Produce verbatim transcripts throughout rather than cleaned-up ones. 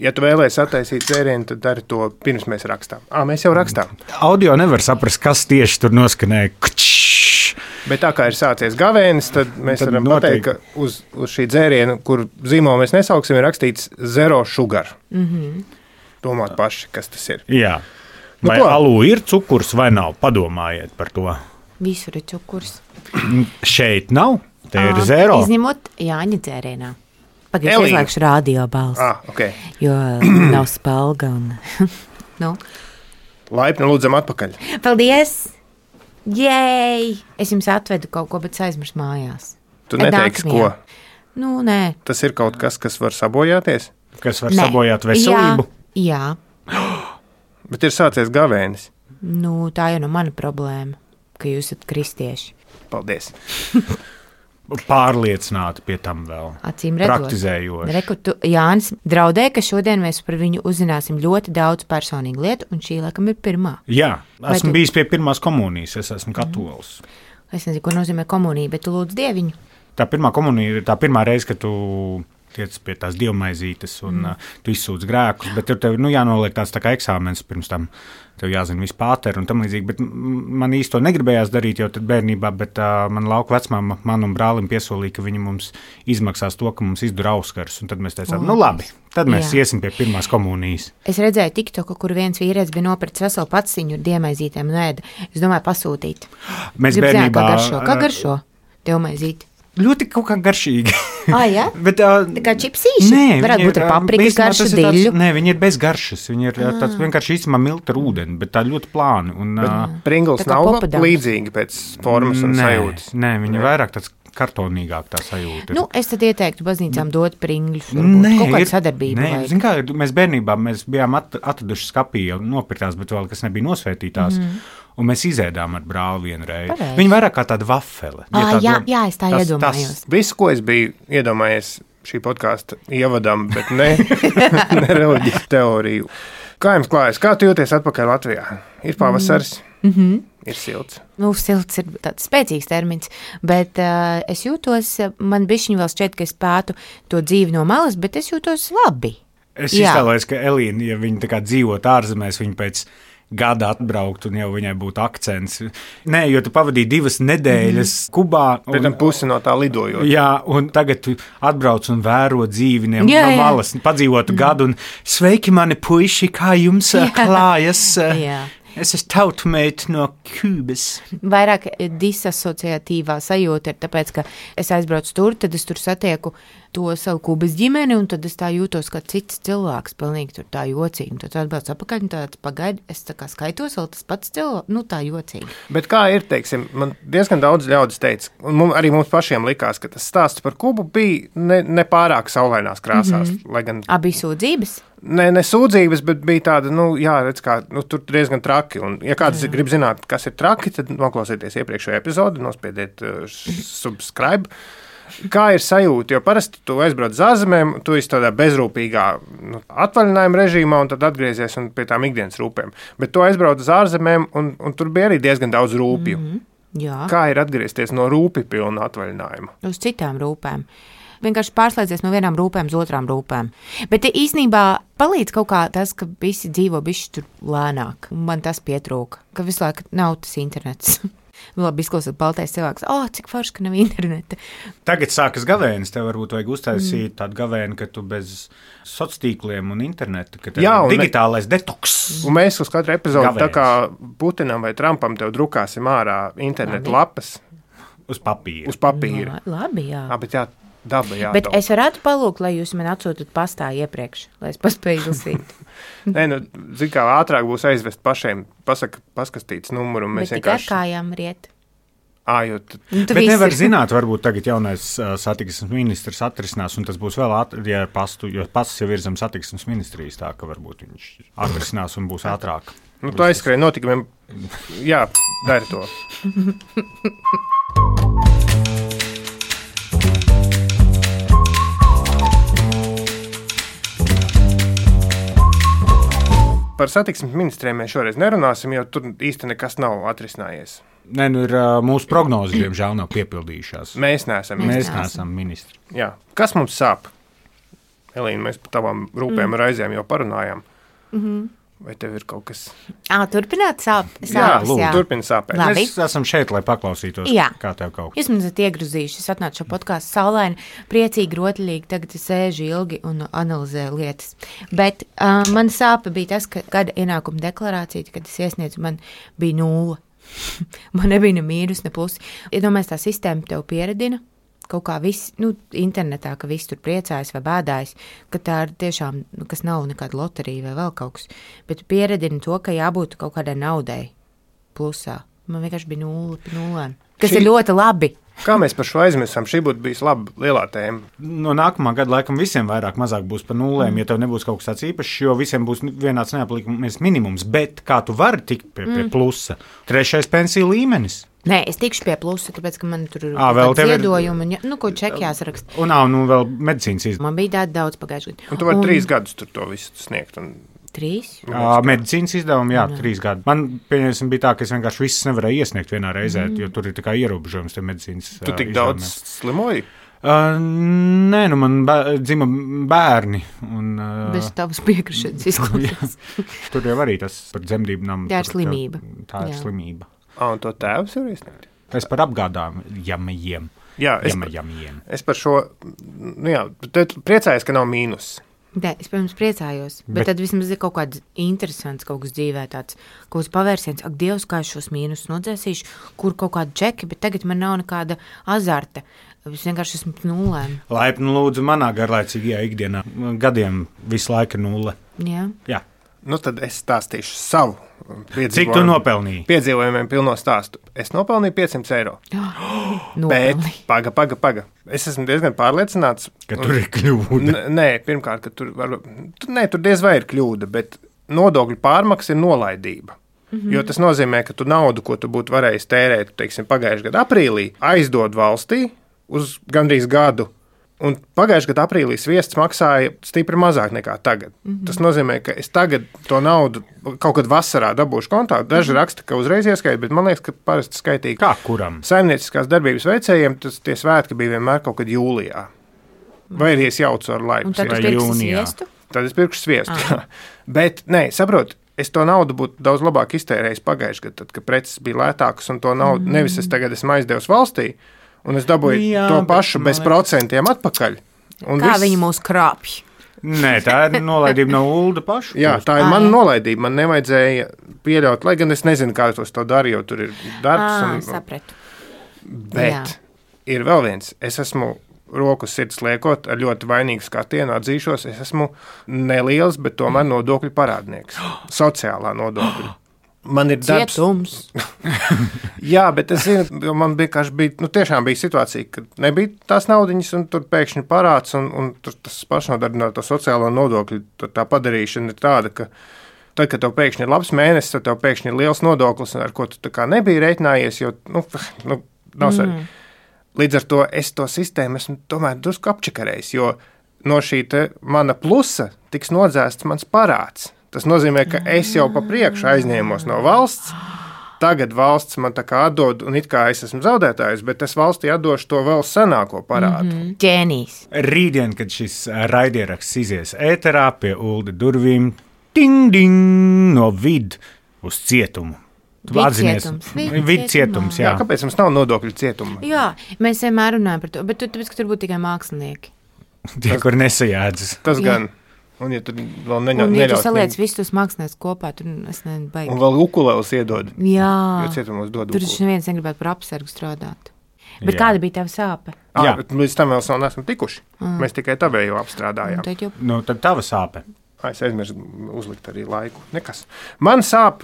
Ja tu vēlēsi attaisīt dzērienu, tad dari to pirms mēs rakstām. Ā, mēs jau rakstām. Audio nevar saprast, kas tieši tur noskanēja. Bet tā kā ir sācies gavēnis, tad mēs tad varam noteikti. pateikt, ka uz, uz šī dzēriena, kur zīmolu mēs nesauksim, ir rakstīts zero sugar. Mm-hmm. Domāt paši, kas tas ir. Jā. Vai nu, alū ir cukurs vai nav? Padomājiet par to. Visur ir cukurs. Šeit nav? Te ir zero. Izņemot Jāņa dzērienā. Pagaidzi izlēkšu radio balsi. Ah, okay. Jo nav spalga un... nu. Laipni lūdzam atpakaļ. Paldies! Jej! Es jums atvedu kaut ko, bet aizmirsu mājās. Tu neteiksi, ko? Nu, nē. Tas ir kaut kas, kas var sabojāties? Kas var nē. sabojāt veselību? Jā, jā. Bet ir sācies gavēnis. Nu, tā jau no mana problēma, ka jūs esat kristieši. Paldies. Pārliecināti pie tam vēl. Acīm redzot. Praktizējoši. Reku, tu, Jānis draudēja, ka šodien mēs par viņu uzzināsim ļoti daudz personīgu lietu, un šī laikam ir pirmā. Jā, esmu tu... bijis pie pirmās komunijas, es esmu katolis. Mm. Es nezinu, ko nozīmē komunija, bet tu lūdz Dieviņu. Tā pirmā komunija ir tā pirmā reize, kad tu tiec pie tās dievmaizītes un mm. uh, tu izsūdz grēkus, bet tev nu, jānoliek tāds tā kā eksāmens pirms tam. Tev jāzina viss pāteri un tam līdzīgi, bet man īsti to negribējās darīt jau tad bērnībā, bet uh, man lauka vecmāma man un brālim piesolīja, ka viņi mums izmaksās to, ka mums izdara auskars, un tad mēs teicām, oh. nu labi, tad mēs Jā. iesim pie pirmās komunijas. Es redzēju TikToku, kur viens vīrietis bija nopircis veselu paciņu ar dievmaizītēm un ēda. Es domāju pasūtīt. Mēs Gribu bērnībā... zināt, kā garšo? Kā garšo dievmaizīti? Ļoti kaut kā garšīgi. Ah, jā? Bet, uh, tā kā čipsīši? Nē, varētu būt ar paprikas garšu, diļu. Nē, viņi ir bez garšas. Viņi ir ah. tāds vienkārši īstamā milta ar ūdeni, bet tā ļoti plāni. Un, uh, Pringles nav popadams. Līdzīgi pēc formas un nē, sajūtas. Nē, viņi ir vairāk tāds kartonīgāk tā sajūta. Nu, es tad ieteiktu baznīcām dot pringļus. Nē, kaut kāda sadarbība. Nē, zin kā, mēs bērnībā mēs bijām at, atraduši skapī jau nopirktās, bet vēl kas nebija nosvētītās. Mm. Un mēs izēdām ar brāli vienu reizi. Viņa vairāk kā tāda vafele. Ah, ja jā, jā, es tā tas, iedomājos. Tas viss, ko es biju iedomājies šī podkāsta ievadam, bet ne, ne reliģijas teoriju. Kā jums klājas? Kā tu jūties atpakaļ Latvijā? Ir pavasaris, mm-hmm. ir silts. Nu, silts ir tāds spēcīgs termins, bet uh, es jūtos, man bišķiņ vēl šķiet, ka es pētu to dzīvi no malas, bet es jūtos labi. Es iztēlojos, ka Elīna, ja viņa tā kā dzīvot ārzemēs, viņa pēc gada atbraukt un jau viņai būtu akcents. Nē, jo tu pavadīji divas nedēļas mm. Kubā. Un, pēc tam pusi no tā lidojot. Jā, un tagad tu atbrauc un vēro dzīvi no malas, padzīvotu mm. gadu un sveiki mani puiši, kā jums jā. klājas? Jā. Es esmu tautmeita no Kubas. Vairāk disasociatīvā sajūta ir tāpēc, ka es aizbraucu tur, tad es tur satieku to savu Kubas ģimeni, un tad es tā jūtos kā cits cilvēks, pilnīgi tur tā jocīgi. Tad atbrauc apakaļ, un tāds pagaidi, es tā kā skaitos vēl tas pats cilvēks, nu tā jocīgi. Bet kā ir, teiksim, man diezgan daudz ļaudis teica, un mums, arī mums pašiem likās, ka tas stāsts par Kubu bija ne, ne pārāk saulainās krāsās. Mm-hmm. Lai gan... Abi sūdzības? Ne, ne sūdzības, bet bija tāda, nu, jā, redz, kā, nu, tur diezgan traki. Un, ja kāds jā. grib zināt, kas ir traki, tad noklausieties iepriekšējo epizodi, nospiediet uh, subscribe. Kā ir sajūta, jo parasti tu aizbrauc uz ārzemēm, tu esi tādā bezrūpīgā nu, atvaļinājuma režīmā un tad atgriezies un pie tām ikdienas rūpēm. Bet tu aizbrauc uz ārzemēm un, un tur bija arī diezgan daudz rūpju. Mm-hmm. Jā. Kā ir atgriezties no rūpju pilna atvaļinājuma? Uz citām rūpēm. Vienkārši pārslēdzies no vienām rūpēm uz otrām rūpēm. Bet īstenībā palīdz kaut kā tas, ka visi dzīvo bišķi tur lēnāk. Man tas pietrūka, ka visu laiku nav tas internets. Labi, izklausot baltais cilvēks, o, oh, cik forši, ka nav interneta. Tagad sākas gavēnis, tev varbūt vajag uztaisīt mm. tādu gavēni, ka tu bez sociāltīkliem un interneta, ka tev Jā, un digitālais me... detoks. Un mēs uz katru epizodu, tā kā Putinam vai Trumpam, tev drukāsim ārā internetu lapas. Uz papīra. Uz papīra. Jā, labi, jā. Jā, bet jā, daba jā. Bet es varētu palūkt, lai jūs man atsūtat pastā iepriekš, lai es paspēju izlasīt. Nē, nu, zin kā, ātrāk būs aizvest pašiem, pasaka, paskastīts numuru. Un mēs bet vienkārši... tikai ar kājām riet. Ā, jo t... Bet nevar zināt, varbūt tagad jaunais uh, satiksmes ministrs atrisinās, un tas būs vēl ātrāk, ja pastu, jo pasts jau ir zem satiksmes ministrijas, tā ka varbūt viņš atrisinās un būs ātrāk. Nu, tu aizskrēji notikumiem. Jā, dari to. Par satiksmes ministriem mēs šoreiz nerunāsim, jo tur īsti nekas nav atrisinājies. Nē, nu ir uh, mūsu prognozes, diemžēl, nav piepildījušās. Mēs neesam ministri. Mēs neesam ministri. Jā. Kas mums sāp? Elīna, mēs par tavām rūpēm Mm. ar aizēm jau parunājām. Mhm. Vai tev ir kaut kas? Ā, turpināt sāp, Jā, sāpes, lūdzu, jā. turpini sāpēt. Labi. Mēs esam šeit, lai paklausītos, Jā. kā tev kaut kas. Jūs man esat iegrūzījuši, es atnācu šo podkāstu saulaini, priecīgi, rotaļīgi, tagad es sēžu ilgi un analizēju lietas. Bet uh, man sāpe bija tas, ka gada ienākuma deklarācija, kad es iesniedzu, man bija nulle. Man nebija ne mīnus, ne plusi. Iedomājies, tā sistēma tev pieredina. Kaut kā viss, nu, internetā, ka viss tur priecājas vai bēdājas, ka tā ir tiešām, nu, kas nav nekāda loterija vai vēl kaut kas. Bet pieredina to, ka jābūt kaut kādai naudai plusā. Man vienkārši bija nulle pie nulēm, kas Šī- ir ļoti labi. Kā mēs par šo aizmirsām? Šī būtu bijusi laba lielā tēma. No nākamā gada laikam visiem vairāk mazāk būs par nulēm, mm. ja tev nebūs kaut kas tāds īpašs, jo visiem būs vienāds neaplīkums minimums. Bet kā tu vari tikt pie, pie plusa? Trešais pensiju līmenis. Nē, es tikšu pie plusa, tāpēc, ka man tur ir Ā, vēl tev ir- ziedojumi, un, ja- nu, ko čeki jāsaraksta. Un nav, nu, vēl medicīnas izdevumu. Man bija tāda daudz pagājušajā gadā. Un tu vari un... trīs gadus tur to visu sniegt. Un... Trīs? Medicīnas izdevumi, jā, trīs gadi. Man, pieņemsim, bija tā, ka es vienkārši visus nevarēju iesniegt vienā reizē, mm. jo tur ir tā kā ierobežojums tie medicīnas. Tu tik daudz slimoji? Uh, nē, nu man bē, dzima bērni. Un, uh, Bez tavas piekrišanas izklausās. tur jau arī tas par dzemdībām. Tā ir slimība. Tā ir Jā. slimība. Ah, un to tēvs var iesniegt? Es par apgādājumiem. Jā, es, Jamajamiem. es par šo, nu jā, tad priecājos, ka nav mīnus. Nē, es, protams, priecājos, bet, Bet- bet tad vismaz ir kaut kāds interesants kaut kas dzīvē, tāds kaut kāds pavērsiens. Ak, Dievs, kā es šos mīnus nodzēsīšu, kur kaut kādu čeki, bet tagad man nav nekāda azarta. Es vienkārši esmu pie nulēm. Laipni lūdzu manā garlaicīgajā ikdienā. Gadiem visu laiku ir nulle. Jā. Jā. Nu, tad es stāstīšu savu piedzīvojumu. Cik tu nopelnīji? Piedzīvojumiem pilno stāstu. Es nopelnīju piecsimt eiro. Bet, Nopelni. paga, paga, paga. Es esmu diezgan pārliecināts. Ka tur ir kļūda. N- Nē, pirmkārt, ka tur, var, tu- nē, tur diez vai ir kļūda, bet nodokļu pārmaksa ir nolaidība. Mm-hmm. Jo tas nozīmē, ka tu naudu, ko tu būtu varējis tērēt, teiksim, pagājušajā gada aprīlī, aizdod valstī uz gandrīz gadu. Un pagājušajā gadā aprīlī sviests maksāja stipri mazāk nekā tagad. Mm-hmm. Tas nozīmē, ka es tagad to naudu kaut kad vasarā dabūšu kontā. Daži mm-hmm. raksta, ka uzreiz ieskaita, bet man liekas, ka parasti skaitīgi. Kā kuram? Saimnieciskās darbības veicējiem tas tie svētki bija vienmēr kaut kad jūlijā. Vai arī es jaucu ar laiku. Un tad tu Vai pirksi jūnijā? sviestu? Tad es pirkšu sviestu. jā. Bet, nē, saprot, es to naudu būtu daudz labāk iztērējis pagājušajā gadā, tad, kad preces bija lētākas un to naudu mm. nevis es tagad esmu aizdevis valstī, un es dabūju Jā, to bet pašu man bez liekas- procentiem atpakaļ. Un Kā viss- viņi mūs krāpj? Nē, tā ir nolaidība no Ulda paša. Jā, tā ir Ā, mana jā. nolaidība. Man nevajadzēja pieļaut, lai gan es nezinu, kā tos to darīju, jo tur ir darbs. Ā, Un, sapratu. bet Jā. ir vēl viens. Es esmu roku sirds liekot ar ļoti vainīgu skatienu, atzīšos, es esmu neliels, bet tomēr nodokļu parādnieks. Sociālā nodokļa. Man ir darbs. Cietums. Jā, bet es zinu, jo man vienkārši bija, nu, tiešām bija situācija, kad nebija tās naudiņas, un tur pēkšņi parāds, un, un tur tas pašnodarbināto sociālo nodokļu tā, tā padarīšana ir tāda, ka tad, kad tev pēkšņi ir labs mēnesis, tad tev pēkšņi ir liels nodoklis, ar ko tu tā kā nebija rēķinājies, jo, nu, nu nav svarīgi. Mm. Līdz ar to es to sistēmu esmu tomēr drusku apčakarējis, jo no šī te mana plusa tiks nodzēsts mans parāds. Tas nozīmē, ka es jau pa priekšu aizņēmos no valsts. Tagad valsts man tā kā atdod, un it kā es esmu zaudētājs, bet es valstī atdošu to vēl senāko parādu. Mm-hmm. Ģēnijs. Rītdien, kad šis raidieraksts izies ēterā pie Ulda durvīm, ding, ding, no vid uz cietumu. Tu atzinies, Vidcietums. vid Vidcietumā. cietums, Jā, jā. kāpēc mums nav nodokļu cietuma? Jā, mēs vienmēr runājam par to, bet tu, tāpēc, ka tur būtu tikai mākslinieki. Tie, kur nesajēdzas. Tas Jā. gan. Un, ja tur vēl neņa, Un, ja tu neļaut saliec viņu- visus tos māksliniekus kopā, tur es nezinu, baigi. un vēl ukulēlus iedod, Jā, jo cietumos dod tur ukulēlus. taču neviens negribētu par apsargu strādāt. Bet Jā. kāda bija tava sāpe? Ah, Jā. bet līdz tam vēl vēl neesam tikuši. Mm. Mēs tikai tavēju Un apstrādājām. tad jau Nu, tad tava sāpe. Ai, Es aizmirsu uzlikt arī laiku. Nekas. Man sāp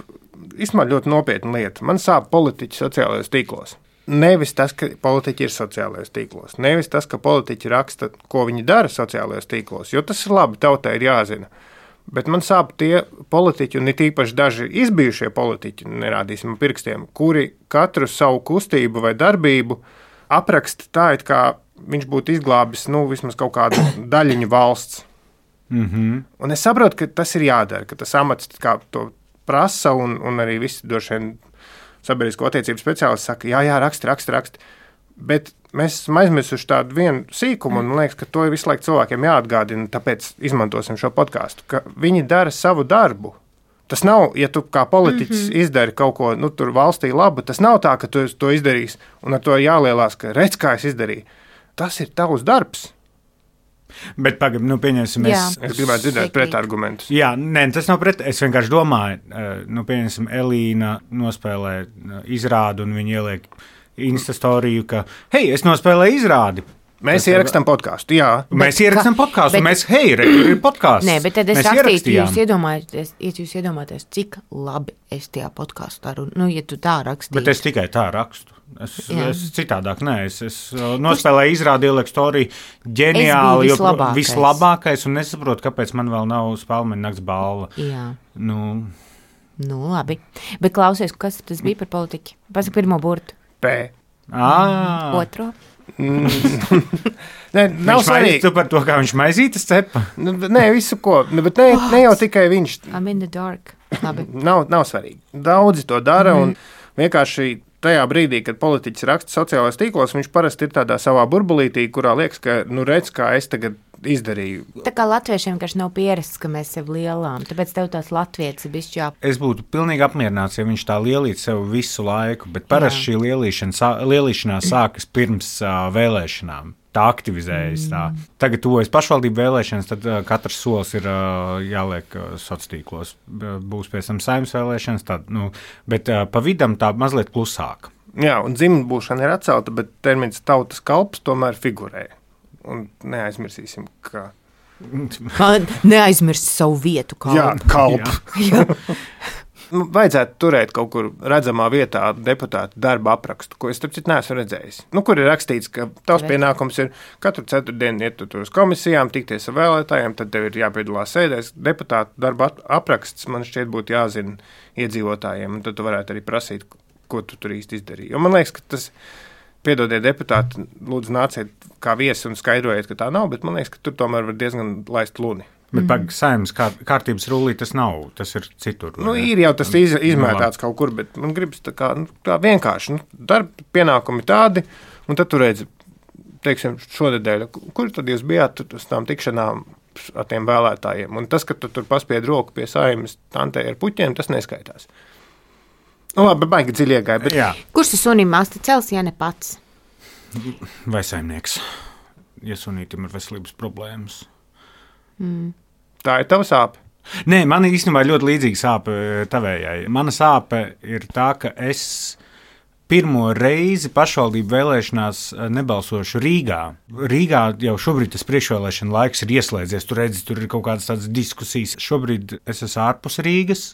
īstenībā ļoti nopietna lieta. Man sāp politiķi sociālajos tīklos. Nevis tas, ka politiķi ir sociālajos tīklos, nevis tas, ka politiķi raksta, ko viņi dara sociālajos tīklos, jo tas ir labi, tautai ir jāzina. Bet man sāp tie politiķi, un it īpaši daži izbijušie politiķi, nerādīsim pirkstiem, kuri katru savu kustību vai darbību apraksta tā, it kā viņš būtu izglābis nu, vismaz kaut kādu daļiņu valsts. Mhm. Un es saprotu, ka tas ir jādara, ka tas amats kā to prasa, un, un arī visi droši vien sabiedrisko attiecību speciālisti saka, jā, jā, raksti, raksti, raksti. Bet mēs esam aizmirsuši tādu vienu sīkumu, un man liekas, ka to ir visu laiku cilvēkiem jāatgādina, tāpēc izmantosim šo podkāstu, ka viņi dara savu darbu. Tas nav, ja tu kā politiķis mm-hmm. izdari kaut ko, nu, tur valstī labu, tas nav tā, ka tu to izdarīsi, un ar to jālielās, ka redz, kā es izdarīju. Tas ir tavs darbs. Bet pagaid, nu, pieņemsim, es... Es gribētu dzirdēt pretargumentus. Jā, nē, tas nav pret, es vienkārši domāju, nu, pieņemsim, Elīna nospēlē izrādu, un viņa ieliek Instastoriju, ka, hei, es nospēlēju izrādi. Mēs tas ierakstām podkāstu, jā. Mēs ierakstām podkāstu, mēs, hei, re, ir podkāsts. Nē, bet tad es rakstītu, jūs iedomājaties, ja jūs iedomājaties, cik labi es tajā podkāstā runu, nu, ja tu tā rakstītu. Bet es tikai tā rakstu. Es, es citādāk, nē, es, es nospēlēju izrādi, ieliku storiju, ģeniāli, jo vislabākais, un nesaprotu, kāpēc man vēl nav Spēlmeņa nakts balva. Jā. Nu, nu, labi. Bet klausies, kas tas bija par politiķi? Pasaka pirmo burtu. P. Ah. Otro. Nē, nav svarīgi. Tu par to, kā viņš maizītas cepa? Nē, visu ko, bet ne, ne jau tikai viņš. I'm in the dark. Labi. Nav, nav svarīgi. Daudzi to dara, mm. un vienkārši tajā brīdī, kad politiķis raksta sociālajos tīklos, viņš parasti ir tādā savā burbulītī, kurā liekas, ka, nu, redz, kā es tagad izdarīju. Tā kā latviešiem vienkārši nav pierasts, ka mēs sev lielām, tāpēc tev tās latvietis ir bišķi jā. Es būtu pilnīgi apmierināts, ja viņš tā lielīt sev visu laiku, bet parasti šī lielīšana, lielīšanās sākas pirms uh, vēlēšanām. Tā aktivizējas. Tā. Tagad tuvojas pašvaldību vēlēšanas, tad uh, katrs solis ir uh, jāliek uh, sociālos. Būs pēc tam saimnes vēlēšanas, tad, nu, bet uh, pa vidam tā mazliet klusāk. Jā, un dzimtbūšana ir atcelta, bet termins tautas kalps tomēr figurē. Un neaizmirsīsim, ka... Neaizmirst savu vietu kalpu. Jā, kalpu. Jā. Vajadzētu turēt kaut kur redzamā vietā deputātu darba aprakstu, ko es, starp citu, neesmu redzējis. Nu, kur ir rakstīts, ka tavs pienākums ir katru ceturtdienu iet tur uz komisijām, tikties ar vēlētājiem, tad tev ir jāpiedalās sēdēs. Deputātu darba apraksts man šķiet būtu jāzina iedzīvotājiem, un tad tu varētu arī prasīt, ko tu tur īsti izdarīji. Jo man liekas, ka tas, piedodiet deputāti, lūdzu nāciet kā viesi un skaidrojiet, ka tā nav, bet man liekas, ka tur tomēr var diezgan laist luni. Bet mm. pag saimnes kā, kārtības rullī tas nav, tas ir citur. Nu, ir jau tas iz, izmētāts kaut kur, bet man gribas tā kā, nu, tā vienkārši, nu, darba pienākumi tādi, un tad tu redzi, teiksim, šonedēļ, kur tad jūs bijāt uz tām tikšanām ar tiem vēlētājiem, un tas, ka tu tur paspied roku pie saimnes tantē ar puķiem, tas neskaitās. Nu, labi, baigi dziļi iegāja, bet... Jā. Kurš tas sunim masta cels, ja ne pats? Vai saimnieks, ja sunītim ir veselības problēmas? Mm. Tā ir tava sāpe? Nē, man īstenībā ļoti līdzīga sāpe tavējai. Mana sāpe ir tā, ka es pirmo reizi pašvaldību vēlēšanās nebalsošu Rīgā. Rīgā jau šobrīd tas priekšvēlēšana laiks ir ieslēdzies. Tur redzi, tur ir kaut kādas tādas diskusijas. Šobrīd es esmu ārpus Rīgas.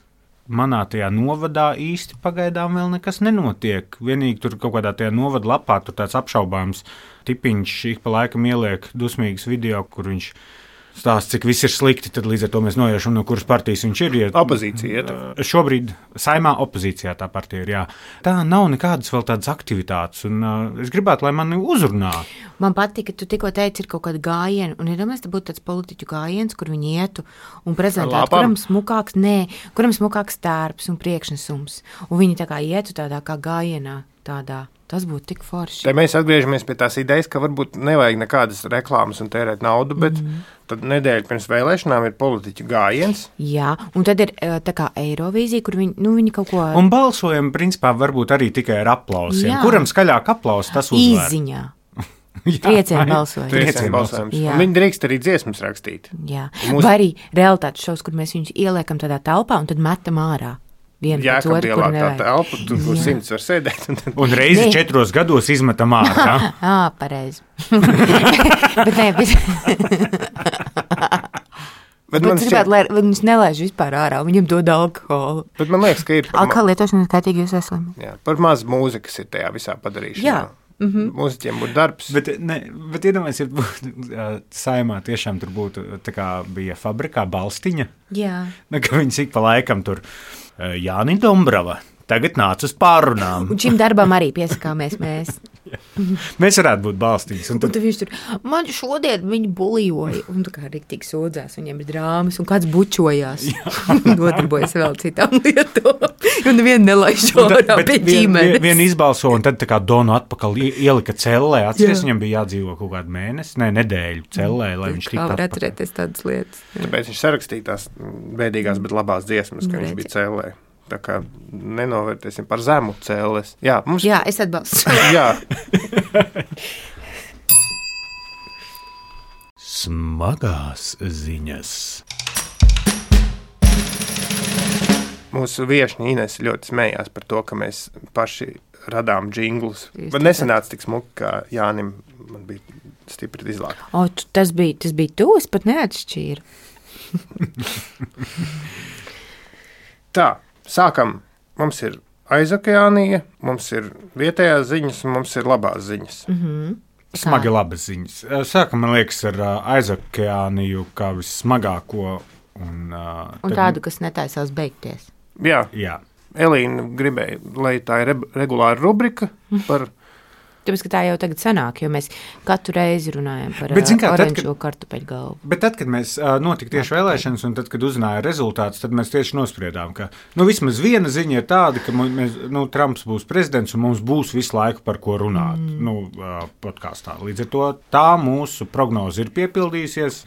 Manā tajā novadā īsti pagaidām vēl nekas nenotiek. Vienīgi tur kaut kādā tajā novada lapā tur tāds apšaubāms tipiņš ik pa laikam ieliek dusmīgas video, kur viņš stāsts, cik viss ir slikti, tad līdz ar to mēs noiešam, no kuras partijas viņš ir. Ja, opozīcija ir. Šobrīd saimā opozīcijā tā partija ir, jā. Tā nav nekādas vēl tādas aktivitātes, un uh, es gribētu, lai mani uzrunā. Man patīk, ka tu tikko teici, ir kaut kāda gājiena, un iedomājies, ja būtu tāds politiķu gājiens, kur viņi ietu un prezentētu, kuram smukāks, nē, kuram smukāks tērps un priekšnesums, un viņi tā kā ietu tādā kā gājienā, tādā. Tas būtu tik forši. Te mēs atgriežamies pie tās idejas, ka varbūt nevajag nekādas reklāmas un tērēt naudu, bet mm. tad nedēļa pirms vēlēšanām ir politiķu gājiens. Jā, un tad ir tā kā Eirovīzija, kur viņi, nu, viņi kaut ko... Un balsojam, principā, varbūt arī tikai ar aplausiem. Jā. Kuram skaļāk aplaus, tas uzvar. Īziņā. Triecienu balsojums. Triecienu balsojums. Un viņi drīkst arī dziesmas rakstīt. Jā. Mūs... Vai arī realitātes šovs, kur mēs viņus ieliekam tādā telpā un tad metam ārā. Jā, ka dielā tā telpa, tur kur simts var sēdēt. Un, tad... un reizi ne. četros gados izmetam ārā. Ā, pareizi. Bet nē, bet... bet man šķiet, lai viņus nelaiž vispār ārā, viņam dod alkoholu. Bet man liekas, ka ir... Alkohola lietošana skaitīgi jūs esam. Jā, par maz mūzikas ir tajā visā padarīšanā. Jā. Mm-hmm. Mūziķiem būtu darbs. Bet, ne, bet iedomājies, ja būtu uh, saimā tiešām tur būtu, tā kā bija fabrikā balstiņa. Jā. Ne, ka viņas ik pa laikam tur uh, Jāni Dombrava, tagad nāc uz pārunām. Un šim darbam arī piesakāmies mēs. Mēs varētu būt balstīgs. Un tad, un tad viņš tur, man šodien viņi bulijoja, un tā kā riktīgi sodzās, viņiem ir drāmas, un kāds bučojās. Nodarbojas vēl citām lietām. Un nevienu nelaiž ārā pie ģimenes. Vien, vien izbalso, un tad tā kā Donu atpakaļ ielika cellē. Atceries, viņam bija jādzīvo kaut kādu mēnesi, ne, nedēļu cellē, lai viņš tiktu atpakaļ. Kā var atcerēties tādas lietas. Jā. Tāpēc viņš sarakstīja tās bēdīgās, bet labās dziesmas, ka viņš bija cellē. Tā kā nenovērtēsim par zemu cēles. Jā, mums... Jā, es atbalstu. Jā. Smagās ziņas. Mūsu viešņi Ines ļoti smējās par to, ka mēs paši radām džinglus. Bet nesanāca tik smuki, kā Jānim man bija stipri izlāk. O, tas bija, tas bija tu, es pat neatšķīru. Tā, sākam. Mums ir aizokeānija, mums ir vietējās ziņas un mums ir labās ziņas. Mm-hmm. Smagi labas ziņas. Sākam, man liekas, ar aizokeāniju kā vissmagāko. Un, uh, un tādu, kas netaisās beigties. Jā, jā. Elīna gribēja, lai tā ir regulāra rubrika par... Tāpēc, ka tā jau tagad sanāk, jo mēs katru reizi runājam par bet, kā, oranžo tad, kad, kartupeļu galvu. Bet tad, kad mēs uh, notika tieši vēlēšanas un tad, kad uzzināja rezultātus, tad mēs tieši nospriedām, ka nu, vismaz viena ziņa ir tāda, ka mēs, nu, Trumps būs prezidents un mums būs visu laiku par ko runāt mm. nu, uh, podkāstā. Līdz ar to tā mūsu prognoze ir piepildījusies.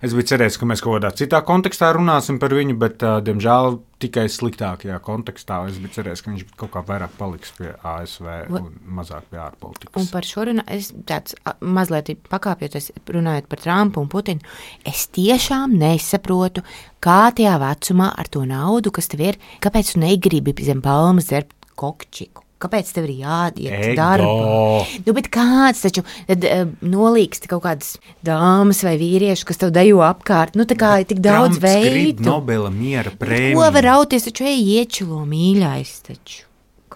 Es biju cerējis, ka mēs kaut kādā citā kontekstā runāsim par viņu, bet, uh, diemžēl, tikai sliktākajā kontekstā. Es biju cerējis, ka viņš kaut kā vairāk paliks pie A S V un mazāk pie ārpolitikas. Un par šo runā, es tāds mazliet pakāpjoties, runājot par Trumpu un Putinu, es tiešām nesaprotu, kā tajā vecumā ar to naudu, kas tev ir, kāpēc tu negribi zem palmas dzert kokčiku? Kāpēc tev ir jāiet darbā? Nu, bet kāds taču tad, uh, nolīksti kaut kādas dāmas vai vīrieši, kas tev dejo apkārt? Nu, tā kā ir tik daudz veidu. Trumps grib Nobela miera prēmiju. Ko var rauties, taču ej iečilo mīļais taču.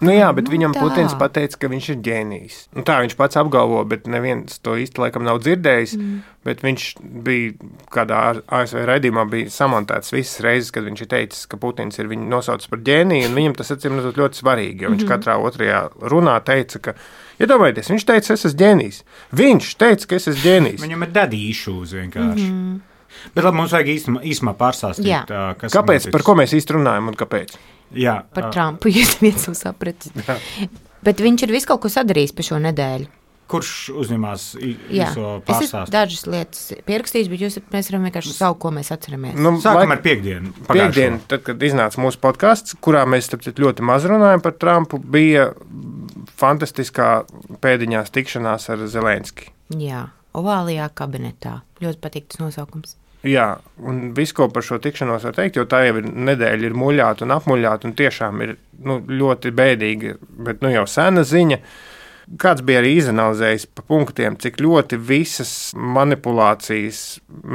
Nu jā, bet nu, viņam tā. Putins pateica, ka viņš ir ģēnijs. Nu, tā viņš pats apgalvo, bet neviens to īsti laikam nav dzirdējis. Mm. Bet viņš bija kādā A S V raidījumā bija samontēts visas reizes, kad viņš ir teicis, ka Putins ir viņu nosaucis par ģēniju, un viņam tas acīm redzot ļoti svarīgi, jo viņš mm-hmm. katrā otrajā runā teica, ka, iedomājieties, viņš teica, es esmu ģēnijs. Viņš teica, ka es esmu ģēnijs. Viņam ir daddy issues vienkārši. Mm-hmm. Bet labi, mums vajag īstumā, īstumā pārstāstīt, Jā. kas kāpēc, noticis. par ko mēs īsti runājam un kāpēc? Jā, par Trumpu, ja viens nav sapratis. Bet viņš ir visu kaut ko sadarījis pa šo nedēļu. Kurš uzņemās īso pārstāstu? Es esmu dažas lietas pierakstījis, bet jūs, mēs varam vienkārši savu, ko mēs atceramies. Nu, Sākam laik, ar piekdienu. Piekdienu, tad, kad iznāca mūsu podcasts, kurā mēs ļoti maz runājam par Trumpu, bija fantastiskā pēdiņās tikšanās ar Zelenski. Jā, ovālajā kabinetā. Ļoti patīk tas nosaukums. Jā, un visu, ko par šo tikšanos var teikt, jo tā jau ir nedēļa, ir muļāta un apmuļāta, un tiešām ir nu, ļoti bēdīga, bet nu, jau sena ziņa. Kāds bija arī izanalizējis pa punktiem, cik ļoti visas manipulācijas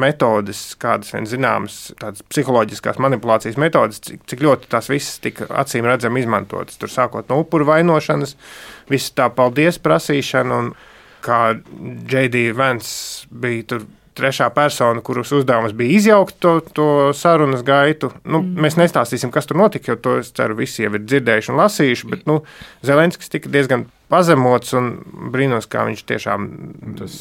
metodes, kādas vien zināmas, tādas psiholoģiskās manipulācijas metodes, cik, cik ļoti tās visas tika acīm redzami izmantotas. Tur sākot no upuru vainošanas, viss tā paldies prasīšana, un kā J D Vance bija tur trešā persona, kuras uzdevums bija izjaukt to, to sarunas gaitu. Nu, mm. Mēs nestāstīsim, kas tur notika, jo to, es ceru, visi jau ir dzirdējuši un lasījuši, bet nu, Zelenskis tika diezgan pazemots un brīnos, kā viņš tiešām... Tas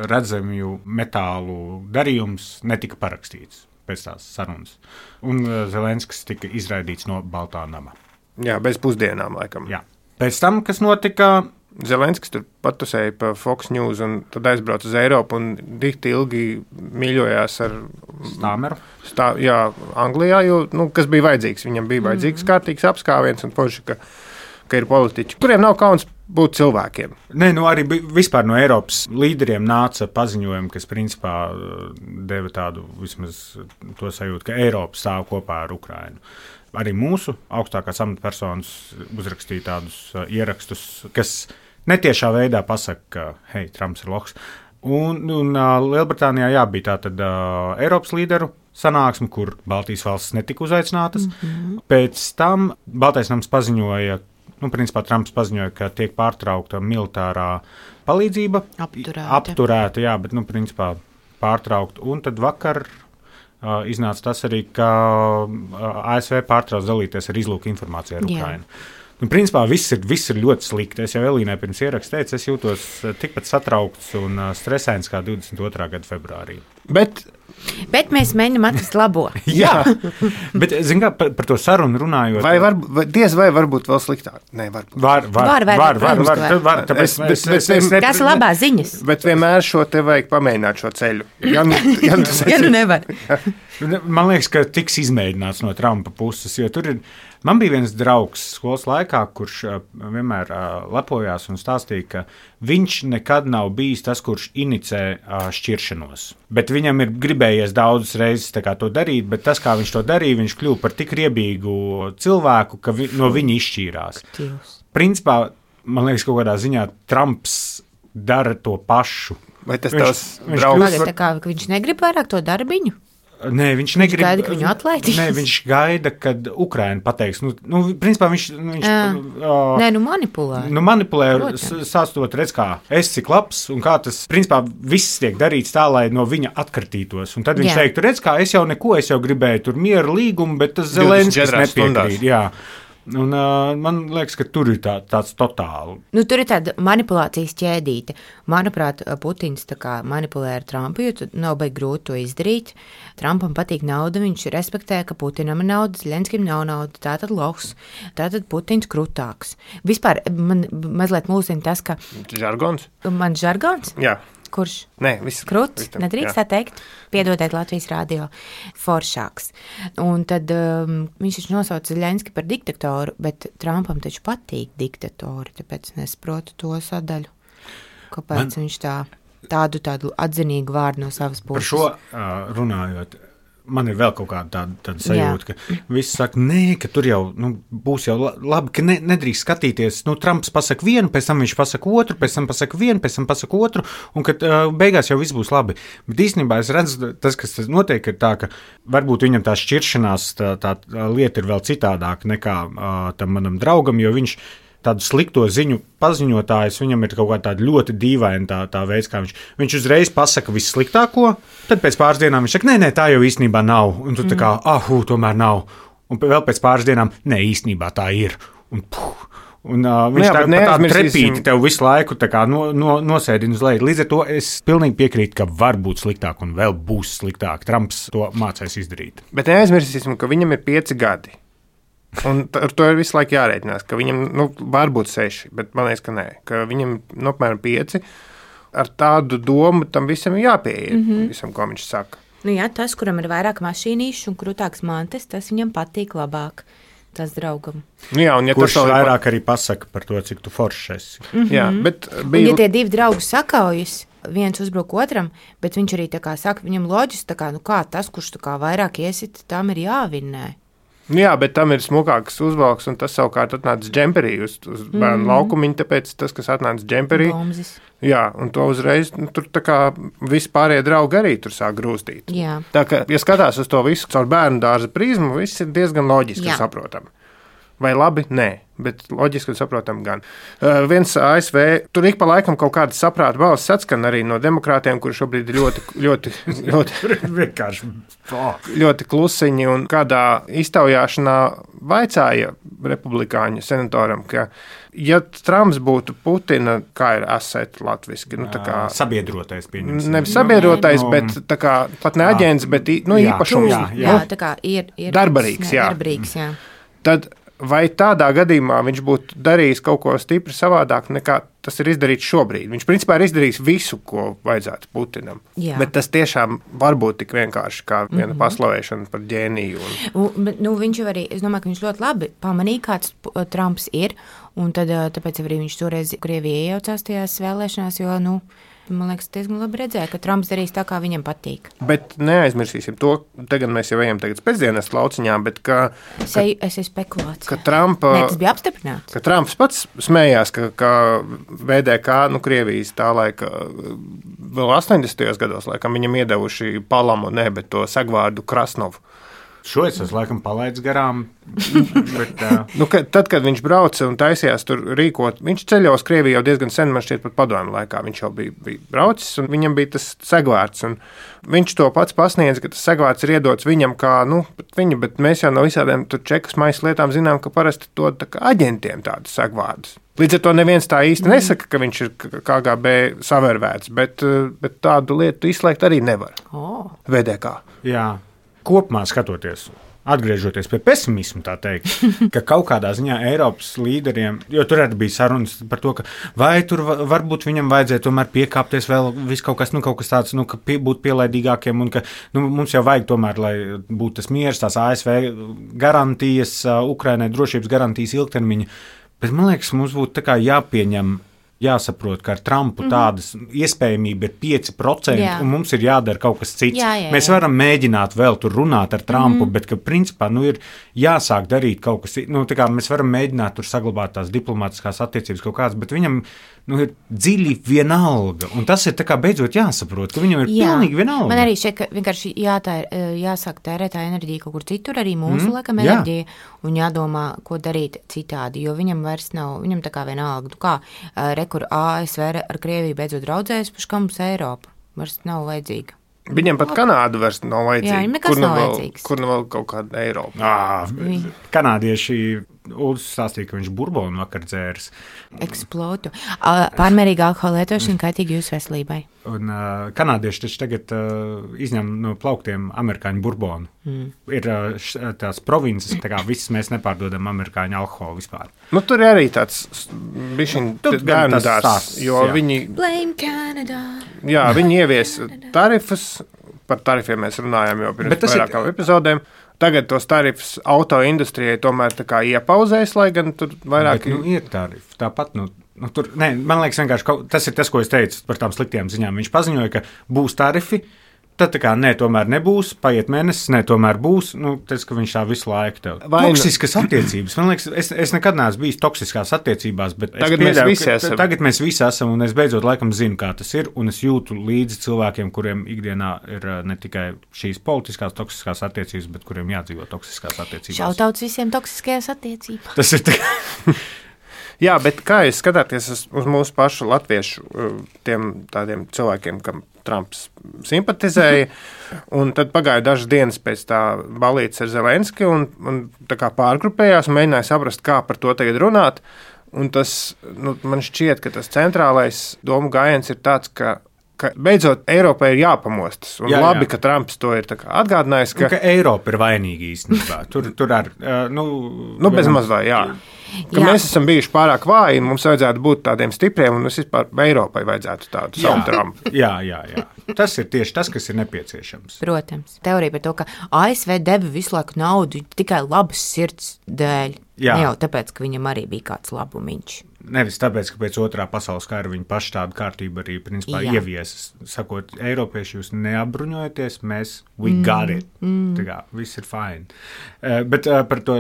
redzamju metālu darījums netika parakstīts pēc tās sarunas. Un Zelenskis tika izraidīts no Baltā nama. Jā, bez pusdienām, laikam. Jā. Pēc tam, kas notika... Zelenskis tur patusēja pa Fox News un tad aizbrauca uz Eiropu un dikti ilgi mīļojās ar Stāmeru. Stā, jā, Anglijā, jo, nu, kas bija vajadzīgs. Viņam bija vajadzīgs mm-hmm. kārtīgs apskāviens un poši, ka, ka ir politiķi, kuriem nav kauns būt cilvēkiem. Nē, nu arī vispār no Eiropas līderiem nāca paziņojumi, kas principā deva tādu vismaz to sajūtu, ka Eiropa stāv kopā ar Ukrainu. Arī mūsu augstākās amatpersonas uzrakstīja tādus uh, ierakstus, kas netiešā veidā pasaka, ka, hei, Trumps ir loks. Un, un uh, Lielbritānijā jā, bija tā tad uh, Eiropas līderu sanāksme, kur Baltijas valstis netika uzaicinātas. Mm-hmm. Pēc tam Baltais nams paziņoja, nu, principā Trumps paziņoja, ka tiek pārtraukta militārā palīdzība. Apturēta. Apturēta, jā, bet, nu, principā pārtraukt. Un tad vakar... Uh, iznāca tas arī, ka uh, A S V pārtrauc dalīties ar izlūku informāciju ar Ukrainu. Nu, principā viss ir, viss ir ļoti slikti. Es jau Elīnai pirms ierakstu teicu, es jūtos tikpat satraukts un stresains kā divdesmit otrā gada februārī. Bet, Bet mēs mēģinām atrast labo. Jā, bet zin kā, par, par to sarunu runājot. vai var, vai, diez vai varbūt vēl sliktāk? Nē, var. Var, var, Var, var, var, var, protams, var, ka var. var, tāpēc Es- bet- es- bet- es- es ne- Tas ir labās ziņas. Bet vienmēr šo te vajag pamēģināt šo ceļu. Ja, nu- ja, nu tas Ja nu nevar. Man liekas, ka tiks izmēģināts no Trumpa puses, jo tur ir. Man bija viens draugs skolas laikā, kurš uh, vienmēr uh, lepojās un stāstīja, ka viņš nekad nav bijis tas, kurš inicē uh, šķiršanos. Bet viņam ir gribējies daudzas reizes tā kā to darīt, bet tas, kā viņš to darīja, viņš kļuva par tik riebīgu cilvēku, ka vi, no viņa izšķīrās. Tīvs. Principā, man liekas, kaut kādā ziņā Trumps dara to pašu. Vai tas Viņš- tavs viņš draugs? Pagad, tā kā ka viņš negrib vairāk to darbiņu. Nē, viņš negrib. gaida, ka viņu atlaidīs? Nē, viņš gaida, kad Ukraina pateiks. Nu, nu, principā viņš, viņš Jā. uh, Nē, nu manipulē. nu, manipulē, Protams. sāstot, redz, kā es cik labs, un kā tas, principā, viss tiek darīts tā, lai no viņa atkartītos. Un tad viņš Jā. teiktu, redz, kā es jau neko, es jau gribēju tur mieru līgumu, bet tas divdesmit Zelenskis četrās nepiekrīt. Jā. Un, uh, man liekas, ka tur ir tā, tāds totāli. Nu, tur ir tāda manipulācijas ķēdīte. Manuprāt, Putins tā kā manipulē ar Trumpu, jo tad nav baigi grūti to izdarīt. Trumpam patīk nauda, viņš respektē, ka Putinam ir nauda, Zelenskim nav nauda, tātad loks, tātad Putins krutāks. Vispār man mazliet mulsina tas, ka Žargons? man žargons, Jā. kurš Nē, viss Kruts, viss tam, nedrīkst jā. tā teikt. Piedodiet Latvijas rādio, foršāks. Un tad um, viņš taču nosauca Zelenski par diktatoru, bet Trumpam taču patīk diktatori, tāpēc nesaprotu to sadaļu. Kāpēc Man... viņš tā, tādu, tādu atzinīgu vārdu no savas Par puses? šo uh, runājot. Man ir vēl kaut kāda tāda, tāda sajūta, Jā. ka visi saka, nē, ka tur jau nu, būs jau labi, ka ne, nedrīkst skatīties. Nu, Trumps pasaka vienu, pēc tam viņš pasaka otru, pēc tam pasaka vienu, pēc tam pasaka otru, un ka uh, beigās jau viss būs labi. Bet īstenībā es redzu, tas, kas notiek, ir tā, ka varbūt viņam tā šķiršanās, tā, tā lieta ir vēl citādāka nekā uh, tam manam draugam, jo viņš tādu slikto ziņu paziņotājs, viņam ir kaut kā tāda ļoti dīvaina tā, tā veids, kā viņš, viņš uzreiz pasaka vissliktāko, tad pēc pāris dienām viņš saka, nē, nē, tā jau īstenībā nav, un tu mm. tā kā, ah, hū, tomēr nav, un vēl pēc pāris dienām, nē, īstenībā tā ir, un puh, un uh, viņš Jā, tā, bet tā neaizmirsīsim- trepīti tev visu laiku tā kā no, no, nosēdina uz leju. Līdz ar to es pilnīgi piekrītu, ka var būt sliktāk un vēl būs sliktāk. Trumps to mācēs izdarīt. Bet neaizmirsīsim, ka viņam ir pieci gadi. Un t- ar to ir visu laiku jārēķinās, ka viņam nu, var būt seši, bet man liekas, ka nē, ka viņam nu, apmēram pieci. Ar tādu domu tam visam ir jāpieiet, mm -hmm. visam, ko viņš saka. Nu, jā, tas, kuram ir vairāk mašīnīšu un krūtāks mantas, tas viņam patīk labāk. Tas draugam. Nu, jā, un ja Kurš tas vēl ir vairāk arī pasaka par to, cik tu foršs esi. pa- Jā, bet Un, bija ja tie divi draugi sakaujas, viens uzbruk otram, bet viņš arī tā kā saka, viņam loģiski, tā kā, nu kā tas, kurš tā kā vairāk iesit, tam ir jāvinnē. Nu jā, bet tam ir smukāks uzvalks, un tas savukārt atnāca džemperī uz, uz bērnu mm. laukumiņu, tāpēc tas, kas atnāca džemperī, Bomzis. jā, un to uzreiz, nu, tur tā kā vispārējie draugi arī tur sāk grūstīt. Jā. Tā kā, ja skatās uz to visu caur bērnu dārza prizmu, viss ir diezgan loģiski Jā. un saprotami. Vai labi? Nē, bet loģiski un saprotami gan. Uh, viens A S V, tur ik pa laikam kaut kāda saprāta balss atskan arī no demokrātiem, kuri šobrīd ir ļoti, ļoti, ļoti, Vienkārši. Oh. ļoti klusiņi, un kādā iztaujāšanā vaicāja republikāņu senatoram, ka, ja Trumps būtu Putina, kā ir asset latviski, nu tā kā Sabiedrotais pieņemsim. nevis sabiedrotais, Nu, bet tā kā pat ne aģents, bet i- nu, Jā, īpašums. jā, Jā, tā kā ir, ir Darbarīgs, jā. Darbarīgs, jā. Tad vai tādā gadījumā viņš būtu darījis kaut ko stipri savādāk nekā tas ir izdarīts šobrīd? Viņš principā ir izdarījis visu, ko vajadzētu Putinam. Jā. Bet tas tiešām var būt tik vienkārši kā viena mm -hmm. paslavēšana par ģēniju. Un... Un, bet, nu, viņš jau arī, es domāju, ka viņš ļoti labi pamanīja, kāds uh, Trumps ir, un tad, uh, tāpēc arī viņš toreiz Krievijā iejaucās tajās vēlēšanās, jo, nu, man liekas, diezgan labi redzēja, ka Trumps darīs tā, kā viņam patīk. Bet neaizmirsīsim to, tagad mēs jau ejam tagad pēcdienas lauciņā, bet ka, Es eju, es eju spekulāciju. ka Trumpa... Nē, tas bija apstiprināts. Ka Trumps pats smējās, ka, ka V D K, nu, Krievijas tā laika, vēl astoņdesmitajos gados, laikam, viņam iedevuši Palamu, ne, bet to segvārdu Krasnovu. Šo es esmu laikam palaidis garām. bet, uh... nu, ka, tad, kad viņš brauca un taisījās tur rīkot, viņš ceļoja uz Krieviju jau diezgan sen, man šķiet, pat padomju laikā. Viņš jau bija, bija braucis, un viņam bija tas segvārds. Viņš to pats pasniedz, ka tas segvārds ir iedots viņam kā, nu, viņa, bet mēs jau no visādiem čekas maisa lietām zinām, ka parasti to tā kā aģentiem tādus segvārdus. Līdz ar to neviens tā īsti nesaka, ka viņš ir K G B savērvēts, bet, bet tādu lietu izslēgt arī nevar. Oh. V D K. Jā, kopumā skatoties. Atgriežoties pie pesimisma, tā teikt, ka kaut kādā ziņā Eiropas līderiem, jo tur arī bija sarunas par to, ka vai tur varbūt viņam vajadzēja tomēr piekāpties vēl viss kaut kas, nu, kaut kas tāds, nu, ka pie, būt pielaidīgākiem un ka nu, mums jau vajag tomēr, lai būtu tas miers, tās A S V garantijas, Ukrainai drošības garantijas ilgtermiņa, bet man liekas, mums būtu tā kā jāpieņem, jāsaprot, ka ar Trumpu mm-hmm. tādas iespējamība ir pieci procenti, jā. Un mums ir jādara kaut kas cits. Jā, jā, jā. Mēs varam mēģināt vēl tur runāt ar Trumpu, mm-hmm. bet, ka principā, nu, ir jāsāk darīt kaut kas cits. Nu, tā kā mēs varam mēģināt tur saglabāt tās diplomātiskās attiecības kaut kādas, bet viņam, nu, ir dziļi vienalga. Un tas ir tā kā beidzot jāsaprot, ka viņam ir jā. Pilnīgi vienalga. Man arī šeit, ka vienkārši jātēr, jāsāk tērēt tā enerģija kaut kur citur, arī mūsu mm, laikam jā. Enerģija, un jādomā, ko darīt citādi, jo viņam vairs nav, viņam tā kā vienalga, nu kā, kur A S V ar Krieviju beidzot draudzējas, paši kā mums Eiropa vairs nav vajadzīga. Viņam pat Kanāda vairs nav vajadzīga. Jā, viņam nekas kur nav vēl, vajadzīgs. Kur nu vēl kaut kāda Eiropa. Ā, kanādieši Uldis stāstīja, ka viņš burbonu vakar dzērs. Eksplotu. Pārmērīga alkohola lietošana kaitīgi jūsu veselībai. Un uh, kanādieši taču tagad uh, izņem no plauktiem amerikāņu burbonu. Mm. Ir uh, š, tās provinces, tā kā visas mēs nepārdodam amerikāņu alkoholu vispār. Nu, tur ir arī tāds bišķiņ bērnu dārs, jo jā. Viņi... Blame Canada. Jā, viņi ievies tarifus, par tarifiem mēs runājām jau pirms vairākām ir... epizodēm. Tagad tos tarifus auto industrijai tomēr tā kā iepauzēs, lai gan tur vairāk... Bet, nu, ir tarifi. Tāpat, nu, nu tur, ne, man liekas vienkārši, tas ir tas, ko es teicu par tām sliktām ziņām. Viņš paziņoja, ka būs tarifi, tad tā kā nē, tomēr nebūs, paiet mēnesis, nē, tomēr būs, nu, tas, ka viņš tā visu laiku tev. Vai toksiskas nu... attiecības. Man liekas, es, es nekad neesmu bijis toksiskās attiecībās, bet tagad, pieļauju, mēs visi esam. tagad mēs visi esam, un es beidzot laikam zinu, kā tas ir, un es jūtu līdzi cilvēkiem, kuriem ikdienā ir ne tikai šīs politiskās toksiskās attiecības, bet kuriem jādzīvo toksiskās attiecībās. Šautauts visiem toksiskajās attiecībās. Tas ir tā. Jā, bet kā jūs skatāties uz mūsu pašu latviešu tiem tādiem cilvēkiem, kam Trumps simpatizēja, un tad pagāja dažas dienas pēc tā balītes ar Zelenski, un, un tā kā pārgrupējās un mēģināja saprast, kā par to tagad runāt, un tas, nu, man šķiet, ka tas centrālais domu gājiens ir tāds, ka ka beidzot Eiropai ir jāpamostas. Un jā, labi, jā. Ka Trumps to ir atgādinājis. Ka, un, ka Eiropa ir vainīga īstenībā. Tur, tur ar, uh, nu, nu, bez mazliet, jā. Ka jā. Mēs esam bijuši pārāk vāji, un mums vajadzētu būt tādiem stipriem, un es vispār Eiropai vajadzētu tādu savu Trumpu. Jā, jā, jā. Tas ir tieši tas, kas ir nepieciešams. Protams. Teorija par to, ka A S V deva visu laiku naudu tikai labas sirds dēļ. Jā. Ne jau tāpēc, ka viņam arī bija kāds labumiņš. Nevis tāpēc, ka pēc otrā pasaules kara viņi paši tādu kārtību arī principā jā. Ieviesas. Sakot, Eiropieši jūs neapbruņojaties, mēs, we mm. got it. Mm. Tā kā, viss ir fine. Uh, bet uh, par to,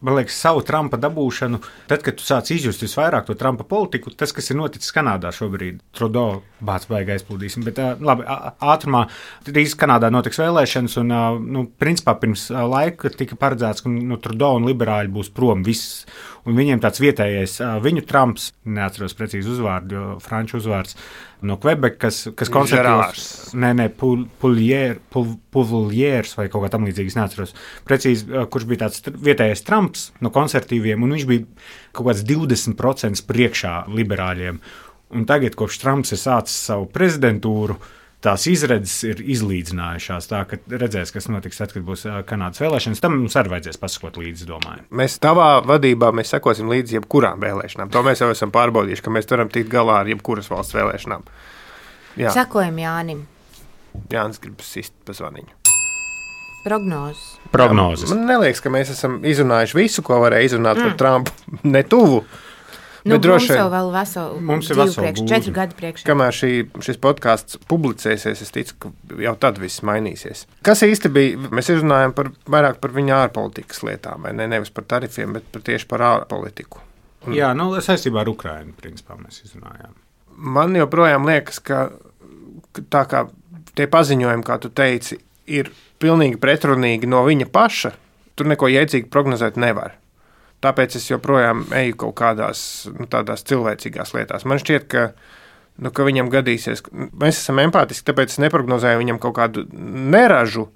man liekas, savu Trumpa dabūšanu, tad, kad tu sāc izjust visvairāk to Trumpa politiku, tas, kas ir noticis Kanādā šobrīd, Trudeau bāc baigi aizplūdīsim, bet uh, labi, ātrumā, drīz Kanādā notiks vēlēšanas, un, uh, nu, principā pirms uh, laika tika paredzēts, ka nu, Trudeau un liberāļi būs prom viss, un viņiem tāds vietējais, uh, viņu Trumps, neatceros precīzi uzvārdu, jo franču uzvārds, no Quebec, kas, kas konservatīvs, nē, nē, Poulier, Pouliers vai kaut kā tam līdzīgas, neatceros precīzi, kurš bija tāds vietējais Trumps no konservatīviem, un viņš bija kaut kāds divdesmit procenti priekšā liberāļiem. Un tagad, kopš Trumps ir sācis savu prezidentūru, tās izredzes ir izlīdzinājušās, tā, ka redzēs, kas notiks tad, kad būs Kanādas vēlēšanas. Tam mums arī vajadzēs pasakot līdzi, domāju. Mēs tavā vadībā mēs sekosim līdzi jebkurām vēlēšanām. To mēs jau esam pārbaudījuši, ka mēs varam tikt galā ar jebkuras valsts vēlēšanām. Jā. Sakojam Jānim. Jānis grib sist pa zvaniņu. Prognozes. Prognozes. Jā, man neliekas, ka mēs esam izrunājuši visu, ko varēja izrunāt mm. par Trumpu. Ne tuvu. Nu, droši, mums jau vēl veselu, mums ir veselu priekš, četri gadi priekšā. Kamēr šī, šis podcasts publicēsies, es ticu, ka jau tad viss mainīsies. Kas īsti bija? Mēs izrunājam par, vairāk par viņa ārpolitikas lietām, vai ne? Nevis par tarifiem, bet par tieši par ārpolitiku. Un jā, nu, saistībā ar Ukrainu, principā, mēs izrunājām. Man joprojām liekas, ka tā kā tie paziņojumi, kā tu teici, ir pilnīgi pretrunīgi no viņa paša, tur neko jēdzīgi prognozēt nevar. Tāpēc es joprojām eju kaut kādās nu, tādās cilvēcīgās lietās. Man šķiet, ka, nu, ka viņam gadīsies, mēs esam empātiski, tāpēc es neprognozēju viņam kaut kādu neražu,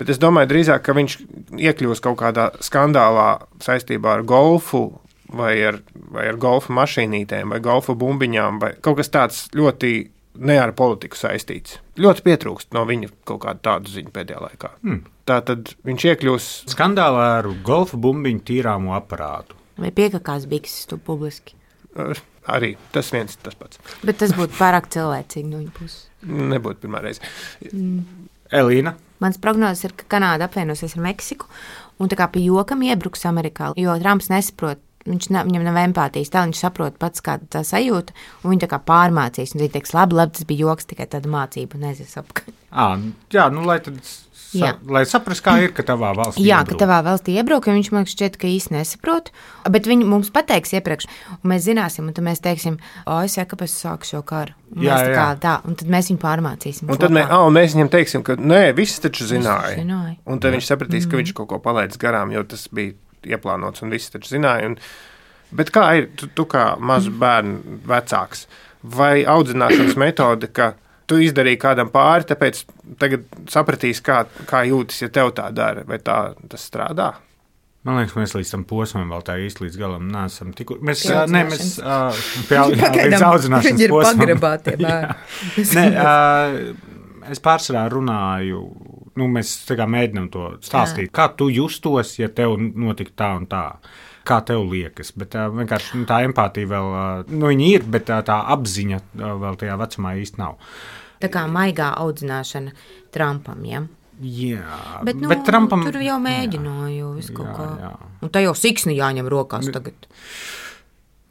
bet es domāju drīzāk, ka viņš iekļūs kaut kādā skandālā saistībā ar golfu vai ar, vai ar golfa mašīnītēm vai golfa bumbiņām vai kaut kas tāds ļoti ne ar politiku saistīts. Ļoti pietrūkst no viņa kaut kādu tādu ziņu pēdējā laikā. Hmm. Tātad viņš iekļūs skandālā ar golfa bumbiņu tīrāmu aparātu. Vai piekakās bikses tu publiski? Arī tas viens tas pats. Bet tas būtu pārāk cilvēcīgi no viņa puses. Nebūtu pirmā reize. Mm. Elīna? Mans prognozes ir, ka Kanāda apvienosies ar Meksiku un tā kā pie jokam iebruks Amerikā, jo Trumps nesaprot, viņš ne, viņam nav empātijas, tā viņš saprot pats, kāda tā sajūta, un viņi tā kā pārmācīs, un viņi teiks, labi, labi, tas bija joks, tikai tāda mācība, un aizies apkārt. À, jā, nu, lai tad, sa, lai saprast, kā ir, ka tavā valstī jā, iebruk. ka tavā valstī iebruk, jo viņš man šķiet, ka īsti nesaprot, bet viņi mums pateiks iepriekš, un mēs zināsim, un tad mēs teiksim, o, es saku, kāpēc es sāku šo karu. Un jā, tā kā, jā. Tā, un tad mēs viņu pārmācīsim. Un tad mē, a, un mēs viņam teiksim, ka nē, viss taču zināja. zināja. Un tad jā. Viņš sapratīs, ka viņš kaut ko palaidis garām, jo tas bija ieplānots, un viss taču zināja. Un, bet kā ir, tu, tu kā mazu bērnu vecāks, vai audzināšanas metode, ka tu izdarīji kādam pāri, tāpēc tagad sapratīs, kā, kā jūtas, ja tev tā dara, vai tā tas strādā? Man liekas, mēs līdz tam posmam vēl tā īsti līdz galam neesam tiku. Mēs, ne, mēs uh, pie, jā, līdz audzināšanas viņi ir posmam. pagrabātie bērni. ne, uh, es pārsvarā runāju, nu, mēs tā kā mēģinām to stāstīt, jā. Kā tu justos, ja tev notika tā un tā. Kā tev liekas, bet uh, vienkārši nu, tā empātija vēl, uh, nu, viņa ir, bet uh, tā apziņa uh, vēl tajā vecumā īsti nav. Tā kā maigā audzināšana Trumpam, ja? Jā, bet, nu, bet Trumpam... Tur jau mēģināju visu kaut jā, kā. Jā. Un tā jau siksni jāņem rokās tagad.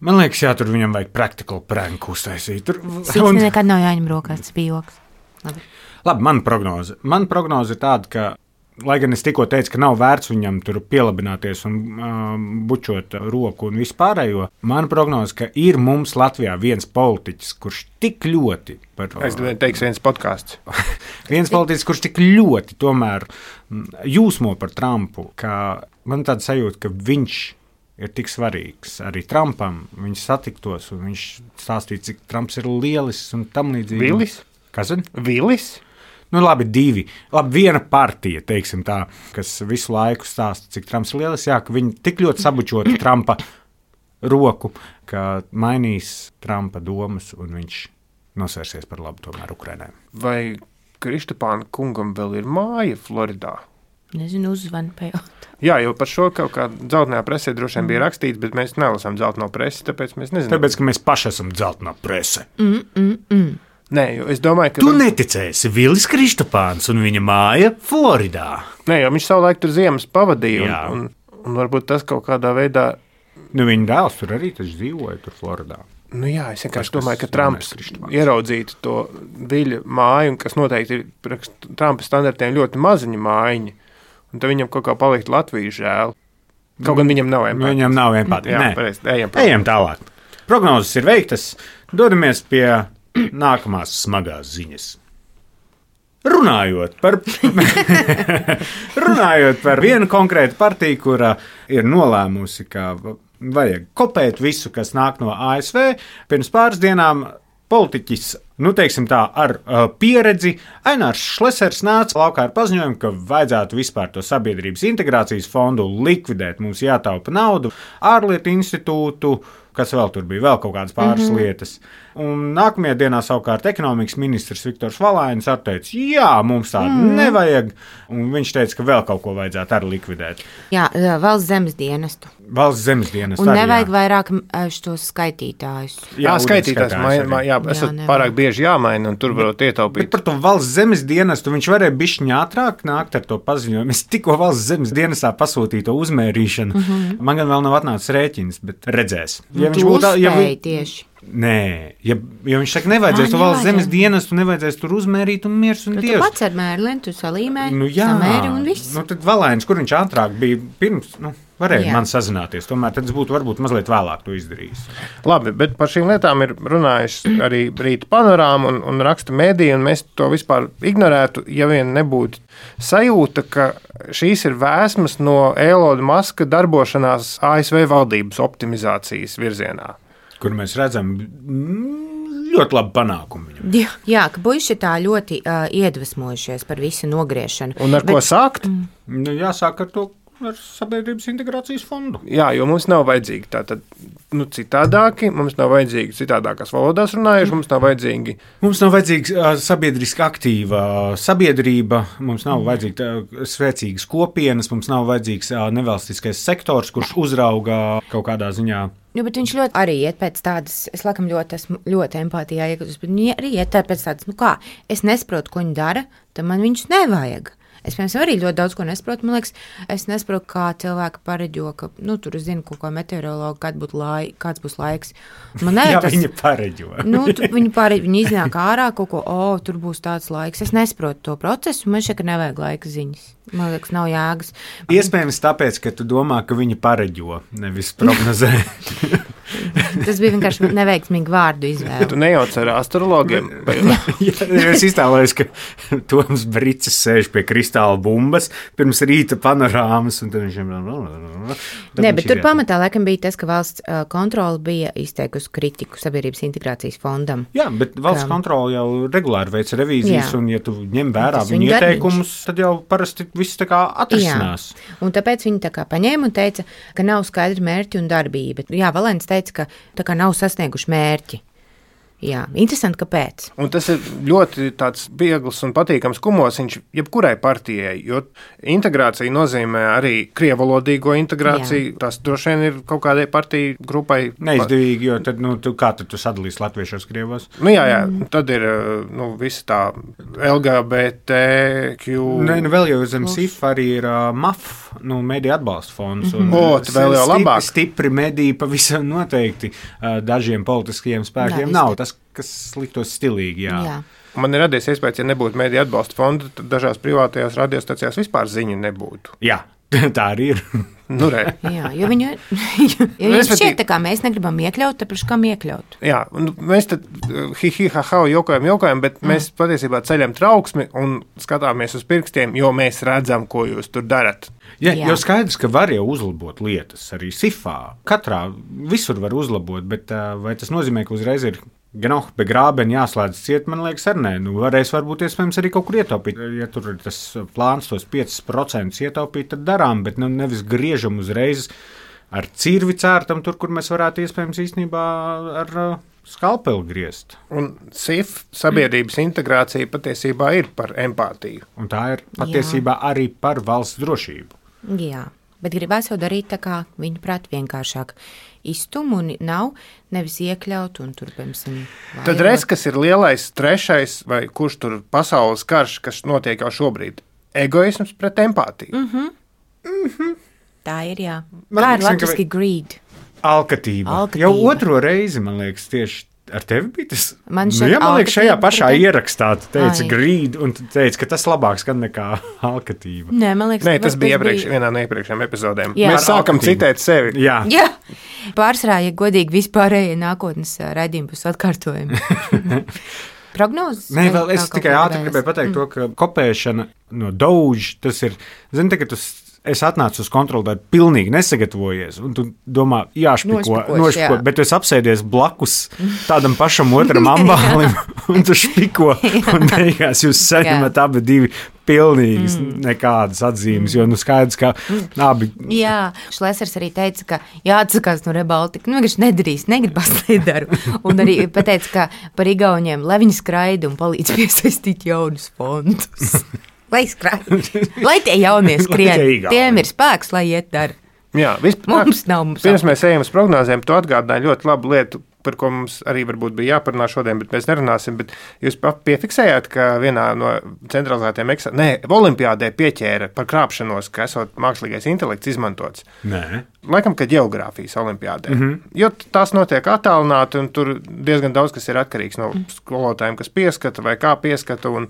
Man liekas, jā, tur viņam vajag practical prank uztaisīt. Tur... Siksni un... nekad nav jāņem rokās, tas bija joks. Labi. Labi, man prognoze. Man prognoze ir tāda, ka lai gan es tikko teicu, ka nav vērts viņam tur pielabināties un uh, bučot roku un vispārējo, man prognoze, ka ir mums Latvijā viens politiķis, kurš tik ļoti par... Es teikšu viens podkāsts. viens politiķis, kurš tik ļoti tomēr jūsmo par Trumpu, ka man tāda sajūta, ka viņš ir tik svarīgs arī Trumpam. Viņš satiktos un viņš stāstīja, cik Trumps ir lielisks un tam līdzīgi. Vilis? Kas ir? Vilis? Nu, labi, divi. Labi, viena partija, teiksim tā, kas visu laiku stāsta, cik Trumps ir lielisks, jā, ka viņi tik ļoti sabučot Trumpa roku, ka mainīs Trumpa domas un viņš nosvērsies par labu tomēr Ukrainai. Vai Kristapāna kungam vēl ir māja Floridā? Nezinu, uzzvanu pajautāt. Jā, jo par šo kaut kā dzeltenajā presē droši vien bija rakstīts, bet mēs nelasām dzelteno presi, tāpēc mēs nezinām. Tāpēc, ka mēs paši esam dzeltenā prese. Mm, mm, mm. Nē, jo es domāju, ka... Tu var... neticēsi, Vilis Kristapāns un viņa māja Floridā. Nē, jo viņš savulaik tur ziemas pavadīja, un, un, un varbūt tas kaut kādā veidā... Nu, viņa dēls tur arī taču dzīvoja tur Floridā. Nu jā, es vienkārši domāju, ka Trumps ieraudzītu to Viļa māju, un kas noteikti ir Trumpa standartiem ļoti maziņa mājiņa, un tad viņam kaut kā palikt Latvijas žēl. Kaut gan viņam nav empātija. Viņam nav empātija. Jā, Nē, pareizi, ejam, ejam tālāk. Prognozes ir veiktas, dodamies pie nākamās smagās ziņas. Runājot par, runājot par vienu konkrētu partiju, kura ir nolēmusi, ka vajag kopēt visu, kas nāk no A S V, pirms pāris dienām politiķis, nu teiksim tā, ar uh, pieredzi, Ainārs Šlesers nāca laukā ar paziņojumu, ka vajadzētu vispār to sabiedrības integrācijas fondu likvidēt, mums jātaupa naudu, ārlietu institūtu, kas vēl tur bija, vēl kaut kādas pāris mm-hmm. lietas. Un nākamajā dienā savukārt ekonomikas ministrs Viktors Valainis atteica, jā, mums tādu mm. nevajag, un viņš teica, ka vēl kaut ko vajadzētu arī likvidēt. Jā, valsts zemes dienestu. Valsts zemes dienestu. Un arī, nevajag jā. vairāk šos skaitītājus. Jā, jā skaitītājs, jā, jā, esat jā, pārāk bieži jāmaina, un tur varot ietaupīt. Bet par to valsts zemes dienestu viņš varēja bišķiņ ātrāk nākt ar to paziņojumu. Es tikko valsts zemes dienestā pasūtīju to uzmērīšanu. Mm-hmm. Man gan vēl nav atnācis rēķins, bet redzēs. Ja viņš būtu, ja vi... tieši. Nē, ja, ja viņš saka, nevajadzēs Ā, to valsts zemes nevajadzēs. dienestu, nevajadzēs tur uzmērīt un miers un Tu, tu dievs. pats ar mērlini, tu salīmē, Nu, jā, samēri un viss. nu, tad Valēns, kur viņš ātrāk bija pirms, nu, varēja Jā. man sazināties. Tomēr tad es būtu varbūt mazliet vēlāk to izdarījis. Labi, bet par šīm lietām ir runājuši arī Rīta panorāma un, un raksta mēdī, un mēs to vispār ignorētu, ja vien nebūtu sajūta, ka šīs ir vēsmas no Eloda Maska darbošanās A S V valdības optimizācijas virzienā. Kur mēs redzam mm, ļoti labu panākumu viņam. Jā, jā, ka puiši tā ļoti uh, iedvesmojušies par visu nogriešanu. Un ar Bet, ko sākt? Nu, jāsāk ar to ar sabiedrības integrācijas fondu. Jā, jo mums nav vajadzīgi tātad, nu, citādāki, mums nav vajadzīgi citādākās valodās runājuši, mums nav vajadzīgi. Mums nav vajadzīga uh, sabiedriski aktīva sabiedrība, mums nav vajadzīga uh, spēcīgas kopienas, mums nav vajadzīgs uh, nevalstiskais sektors, kurš uzrauga kaut kādā ziņā. Nu, bet viņš ļoti arī iet pēc tādas, es laikam ļoti esmu ļoti empātijā iekļūst, bet viņi arī iet pēc tādas, nu kā, es nesaprotu, ko viņi dara, tad man viņus nevajag. Es, piemēram, arī ļoti daudz ko nesaprotu. Man liekas, es nesaprotu, kā cilvēki pareģo, ka, nu, tur es zinu, ko meteorologi, kad būs lai, kāds būs laiks. Man Jā, tas, viņi pareģo. nu, tu, viņi, pareģo, viņi iznāk ārā kaut ko, o, tur būs tāds laiks. Es nesaprotu to procesu, man šeit nevajag laika ziņas. Man liekas, nav jēgas. Iespējams tāpēc, ka tu domā, ka viņi pareģo, nevis prognozē. Tas bija vienkārši neveiksmīgi vārdu izvēle. Tu nejauc ar astrologiem. Ja es iztēlojos, ka Toms Bricis sēž pie kristāla bumbas pirms rīta panorāmas, un tad viņš ir... Nē, bet tur pamatā laikam bija tas, ka valsts uh, kontrole bija izteikusi kritiku sabiedrības integrācijas fondam. Jā, bet valsts Kam? kontrole jau regulāri veic revīzijas, Jā. un ja tu ņem vērā Tas viņu viņu ieteikumus, tad jau parasti viss tā kā atrisinās. Jā. Un tāpēc viņi tā kā paņēma un teica, ka nav skaidri mērķi un darbība. Jā, Valēns teica, ka tā kā nav sasnieguši mērķi. Jā, interesanti, kāpēc. Un tas ir ļoti tāds viegls un patīkams kumosiņš jebkurai partijai, jo integrācija nozīmē arī krievalodīgo integrāciju. Jā. Tas droši vien ir kaut kādai partiju grupai neizdevīgi, jo tad, nu, tu, kā tad tu sadalīsi latviešos krievos? Nu, jā, jā, tad ir nu, visa tā L G B T Q. Nē, nu vēl jau zem S I F arī ir uh, M A F, nu, mediju atbalsta fonds. Un, o, tad vēl jau labāk. Stipri mediji pavisam noteikti uh, dažiem politiskajiem spēkiem nav. Tas, kas liktos stilīgi, jā. Jā. Man ir radies iespējas, ja nebūtu mediju atbalsta fonda, tad dažās privātajās radiostacijās vispār ziņa nebūtu. Jā, tā arī ir. Nu, re. Jā, jo viņu, jo viņu šķiet, tā kā mēs negribam iekļaut, tāpēc kam iekļaut? Jā, un mēs tad hi, hi, ha, ha, jokojam, jokojam, bet mm. mēs patiesībā ceļam trauksmi un skatāmies uz pirkstiem, jo mēs redzam, ko jūs tur darat. Ja, Jā. jau skaidrs, ka var jau uzlabot lietas arī S I F-ā. Katrā visur var uzlabot, bet uh, vai tas nozīmē, ka uzreiz ir gan oh, be grābeni jāslēdz ciet, man liekas, ar nē. Nu, varēs varbūt iespējams arī kaut kur ietaupīt. Ja tur ir tas plāns tos piecus procentus ietaupīt, tad darām, bet nu, nevis griežam uzreiz ar cirvi cērtam tur, kur mēs varētu iespējams īstenībā ar uh, skalpeli griezt. Un S I F sabiedrības integrācija patiesībā ir par empātiju. Un tā ir patiesībā Jā. arī par valsts drošību. Jā, bet gribēs jau darīt tā kā viņa prāt vienkāršāk iztum un nav nevis iekļaut un tur, piemēram, Tad reiz, kas ir lielais trešais vai kurš tur pasaules karš, kas notiek jau šobrīd? Egoisms pret empātiju. Mm-hmm. Mm-hmm. Tā ir, jā. Man Tā liekas, ir latviski ka... greed. Alkatība. Alkatība. Jau otro reizi, man liekas, tieši ar tevi bija tas. Man nu, jā, man liekas, šajā pašā pret... ierakstā tu teici Ai. greed, un tu teici, ka tas labāks gan nekā alkatība. Nē, man liekas, Nē, tas bija iepriekš, bija... vienā no iepriekšējām epizodēm. Jā. Mēs sākam Alkatību. citēt sevi. Jā. Jā, pārsvarā, ja godīgi vispārējie nākotnes raidījumi būs atkārtojumi. Prognozes? Nē, vēl es tikai ātri gribēju pateikt mm. to, ka kopēšana no Doge, tas ir, zini, tagad tu es atnācu uz kontroli, tad pilnīgi nesagatavojies. Un tu domā, jāšpiko, nošpiko, jā. bet tu esi apsēdies blakus tādam pašam otram ambālim, un tu špiko, un beigās jūs saņemat abi divi pilnīgas mm. nekādas atzīmes, jo nu skaidrs, ka abi... Jā, Šlesers arī teica, ka jāatsakās no Rebaltika. Nu, vienkārši nedarīs, negribas nedaru. Un arī pateica, ka par Igauniem, lai viņi skraida un palīdz piesaistīt jaunus fondus. Lai skraida, lai tie jaunie skrien, tiem ir spēks, lai iet dara. Jā, vispār, mums nav. Mums pirms mēs ejam uz prognozēm, tu atgādināji ļoti labu lietu par ko mums arī varbūt bija jāparunā šodien, bet mēs nerunāsim. Bet jūs piefiksējāt, ka vienā no centralizētiem eksāmeniem, ne, olimpiādē pieķēra par krāpšanos, ka esot mākslīgais intelekts izmantots. Nē. Laikam, ka ģeogrāfijas olimpiādē. Mhm. Jo tās notiek attālināti, un tur diezgan daudz kas ir atkarīgs no skolotājiem, kas pieskata vai kā pieskata. Un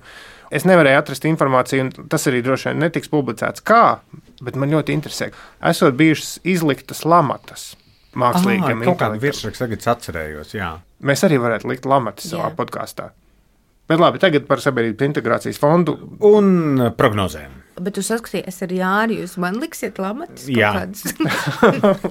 es nevarēju atrast informāciju, un tas arī droši vien netiks publicēts kā, bet man ļoti interesē. Esot bijušas izliktas lamatas mākslīgiem intelektam. Kaut kādu intelektam. virsrakstu tagad atcerējos, jā. Mēs arī varētu likt lamatas savā Jā. podkāstā. Bet labi, tagad par sabiedrības integrācijas fondu. Un prognozēm. Bet jūs saskatījāt, es ar Jāri, jūs man liksiet lamatas kaut Jā. kādas.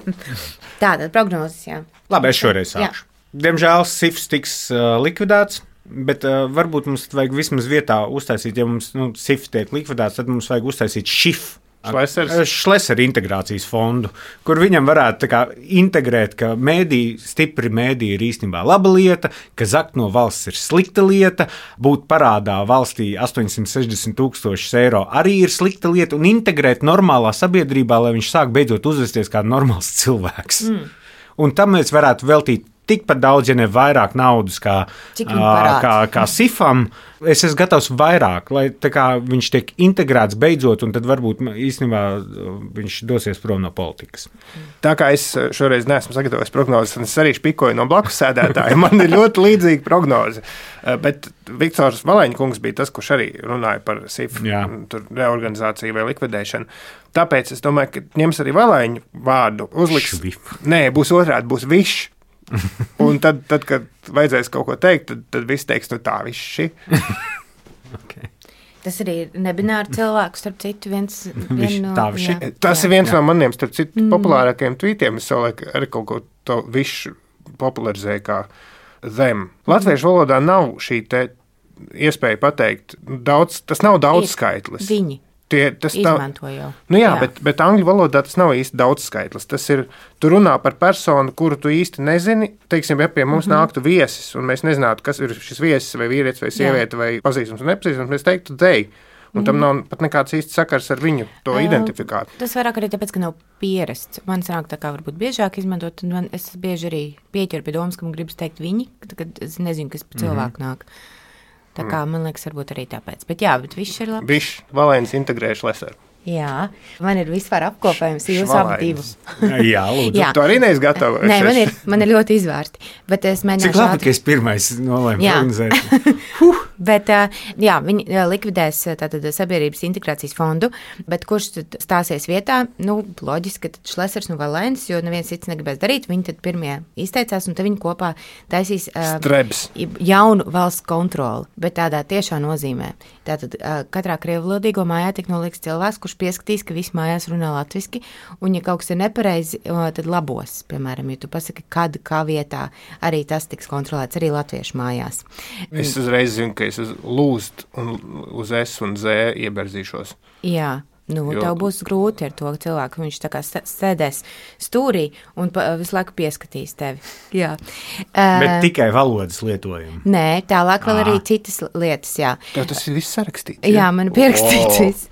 Tātad prognozes, jā. Labi, es šoreiz sākšu. Diemžēl S I F S tiks uh, likvidēts, bet uh, varbūt mums vajag vismaz vietā uztaisīt, ja mums nu, S I F S tiek likvidēts, tad mums vajag uztaisīt š I F. Šlesers. Šlesera integrācijas fondu, kur viņam varētu tā kā integrēt, ka mēdī, stipri mēdī ir īstenībā laba lieta, ka zakt no valsts ir slikta lieta, būt parādā valstī astoņsimt sešdesmit tūkstošus eiro arī ir slikta lieta, un integrēt normālā sabiedrībā, lai viņš sāk beidzot uzvesties kā normāls cilvēks. Mm. Un tam mēs varētu veltīt tikpat daudz, ja ne vairāk naudas kā, Cik ā, viņi parāda? kā, kā S I F am. Es esmu gatavs vairāk, lai tā kā viņš tiek integrēts beidzot, un tad varbūt īstenībā viņš dosies prom no politikas. Tā kā es šoreiz neesmu sagatavojis prognozes, un es arī špikoju no blakus sēdētāja, man ir ļoti līdzīga prognoze. Bet Viktors Valēņkungs bija tas, kurš arī runāja par S I F Jā. tur reorganizāciju vai likvidēšanu. Tāpēc es domāju, ka ņems arī Valēņu vārdu, uzliks. Švif. Nē, būs otrādi, būs višs. Un tad, tad, kad vajadzēs kaut ko teikt, tad, tad viss teiks, nu tā, viši. Okay. Tas arī ir nebināri cilvēks, starp citu, viens Viņš vien no... tā viši. jā. Tas Jā. ir viens no maniem, starp citu, populārākajiem tvītiem. Es savulaik arī kaut ko to višu popularizēju kā them. Latviešu valodā nav šī te iespēja pateikt, daudz, tas nav daudz skaitlis. Viņi Tie, tas tā, izmanto jau. nu jā, bet, bet angļu valodā tas nav īsti daudz skaitlis. Tas ir, tu runā par personu, kuru tu īsti nezini. Teiksim, ja pie mums mm -hmm. nāktu viesis, un mēs nezinātu, kas ir šis viesis, vai vīrietis, vai sieviete, jā. vai pazīstams un nepazīstams, mēs teiktu dei. Un tam nav pat nekāds īsts sakars ar viņu to Uh, identifikāt. Tas vairāk arī tāpēc, ka nav pierasts. Man sanāk tā kā varbūt biežāk izmantot, un man, es bieži arī pieķeru pie domas, ka man gribas teikt viņi, kad es nezinu, kas pa cilvēku nāk. Tā kā, man liekas, varbūt arī tāpēc. Bet jā, bet viss ir labi. Bišs, Valēns integrējuši leseru. Jā, man ir vispār apkopējums jūsu abu divu. Jā, lūdzu. Jā. Tu arī neesi gatava. Nē, man ir, man ir ļoti izvērti. Bet es mēģināšu Cik labi, ātri- ka es pirmais nolēmu Jā. prognozēt. Bet ā, jā, viņi ā, likvidēs ā, tātad sabiedrības integrācijas fondu, bet kurš tad stāsies vietā? Nu, loģiski, ka tad Šlesers un Valēns, jo neviens cits negribēs darīt, viņi tad pirmie izteicās, un tad viņi kopā taisīs ā, Strebs. jaunu valsts kontroli, bet tādā tiešā nozīmē. Tātad ā, katrā krievlodīgo mājā tik noliks cilvēks, kurš pieskatīs, ka visi mājās runā latviski, un ja kaut kas ir nepareizi, ā, tad labos. Piemēram, ja tu pasaki, kad, kā vietā, arī tas tiks kontrolēts, arī latviešu mājās. Es uzreiz zinu, ka es uz lūst un uz S un Z ieberzīšos. Jā, nu, Jo- tev būs grūti ar to cilvēku. Viņš tā kā sē- sēdēs stūrī un pa, visu laiku pieskatīs tevi. Jā. Bet Uh, tikai valodas lietojumu. nē, tālāk vēl Ā. arī citas lietas, jā. Tev tas ir viss sarakstīts. Jā, man ir pierakstīts O. viss.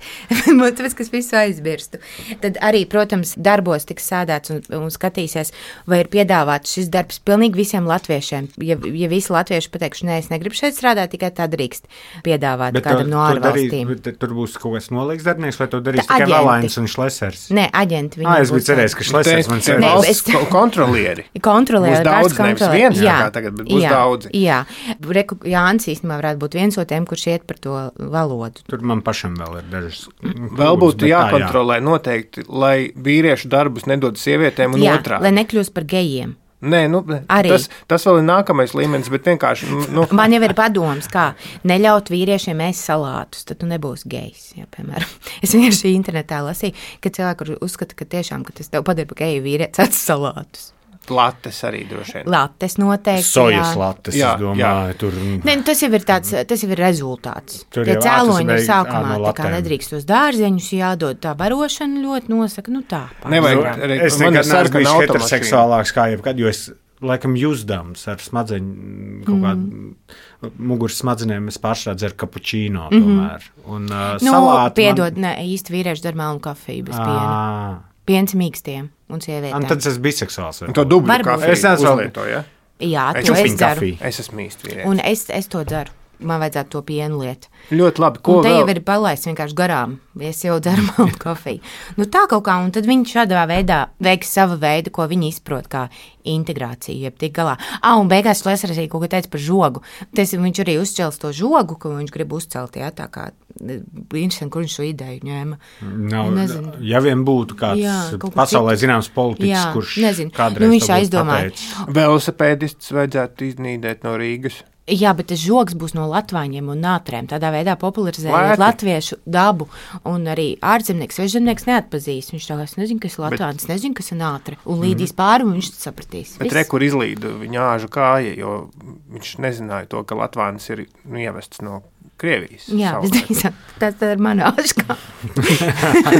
Man tāpēc, ka es visu aizmirstu. Tad arī, protams, darbos tiks sādāts un, un skatīsies, vai ir piedāvāts šis darbs pilnīgi visiem latviešiem. Ja, ja visi latvieši pateikšu, nē, es negribu šeit strādāt, tikai tā drīkst piedāvāt Bet kādam tu- no tu darī- ārvalstīm. bet tur būs kaut kas nolīgs darbinieks, vai to darīs Tā tikai aģenti. Valēns un Šlesers? Nē, aģenti. Ā, es biju cerējis, ka Šlesers man Te Nē, cerēs. valsts es- ko- kontrolieri. Kontrolē, Būs daudz, nevis viens, jā, kā tagad, bet būs jā, daudzi. Jā, Reku, Jānis īstenībā varētu būt viens no tiem, kurš iet par to valodu. Tur man pašam vēl ir dažas. Vēl būtu jākontrolē noteikti, lai vīriešu darbus nedod sievietēm un Jā, otrādi. lai nekļūst par gejiem. Nē, nu, Arī. tas, tas vēl ir nākamais līmenis, bet vienkārši. Nu, Man jau ir padoms, kā neļaut vīriešiem ēst salātus, tad tu nebūsi gejs. Jā, piemēram. Es vienkārši internetā lasīju, ka cilvēki uzskata, ka tiešām, ka tas tev padara par geju vīrietis ēst salātus. lates arī droši vien. Lattes noteikti. Sojas jā. lattes, Jā, es domāju, tur. Ne, nu, tas jau ir tāds, tas jau ir rezultāts. Tur Tie jau, ā, tas cēloņi ir beig- ā, sākumā, no tā kā latēm. nedrīkst tos dārzeņus jādod, tā barošana ļoti nosaka, nu tā. Nevajag pārsvarā. arī- Es man ir nekad neesmu sarkana bijis automašīna. heteroseksuālāks kā jebkad, jo es laikam jūzdams ar smadzeņu kaut kādu muguras smadzenēm, es pārstrādu dzeru kapučīno tomēr. Un uh, Nu, salāti piedod, ne, īsti vīrieši dara melnu kafiju bez piena. Man... Piens mīkstiem un Un sievietēm. tad es esmu biseksuāls. Un to dubļu Varbūt. kafiju Es neesmu- uzlietoju, ja? Jā, Es to es Čupiņu dzeru. kafiju. Es esmu īsti vīrietis. Un es, es to dzeru. Man vajadzētu to pienu lietu. Ļoti labi. Ko Un te vēl? jau ir palaists vienkārši garām. Es jau dzeru maltu kafiju. Nu, tā kaut kā, un tad viņi šādā veidā veiks savu veidu, ko viņi izprot kā integrāciju, jeb tik galā. Ah, un beigās Šlesers arī kaut ko teica par žogu. Tas, viņš arī uzcels to žogu, ko viņš grib uzcelt, jā, tā kā interesanti, kur viņš šo ideju ņēma. Nav, Nezinu. ja vien būtu kāds Jā, kaut kas pasaulē cits. zināms politiķis, Jā, kurš nezinu. kādreiz Nu, viņš to būtu aizdomāja. pateicis. Velosipēdists vajadzētu iznīdēt no Rīgas. Jā, bet tas žogs būs no latvāņiem un nātrēm. Tādā veidā popularizējot Lēti. latviešu dabu. Un arī ārzemnieks, svežzemnieks neatpazīs. Viņš tā kā, es nezinu, kas ir latvāns, bet... nezinu, kas ir nātre. Un līdīs pāri, un viņš sapratīs. Bet re, kur izlīda viņa āžu kāja, jo viņš nezināja to, ka Latvānis ir nu, ievests no Krievijas. Jā, visdrīzāk. Tas tā ir mana āžkā.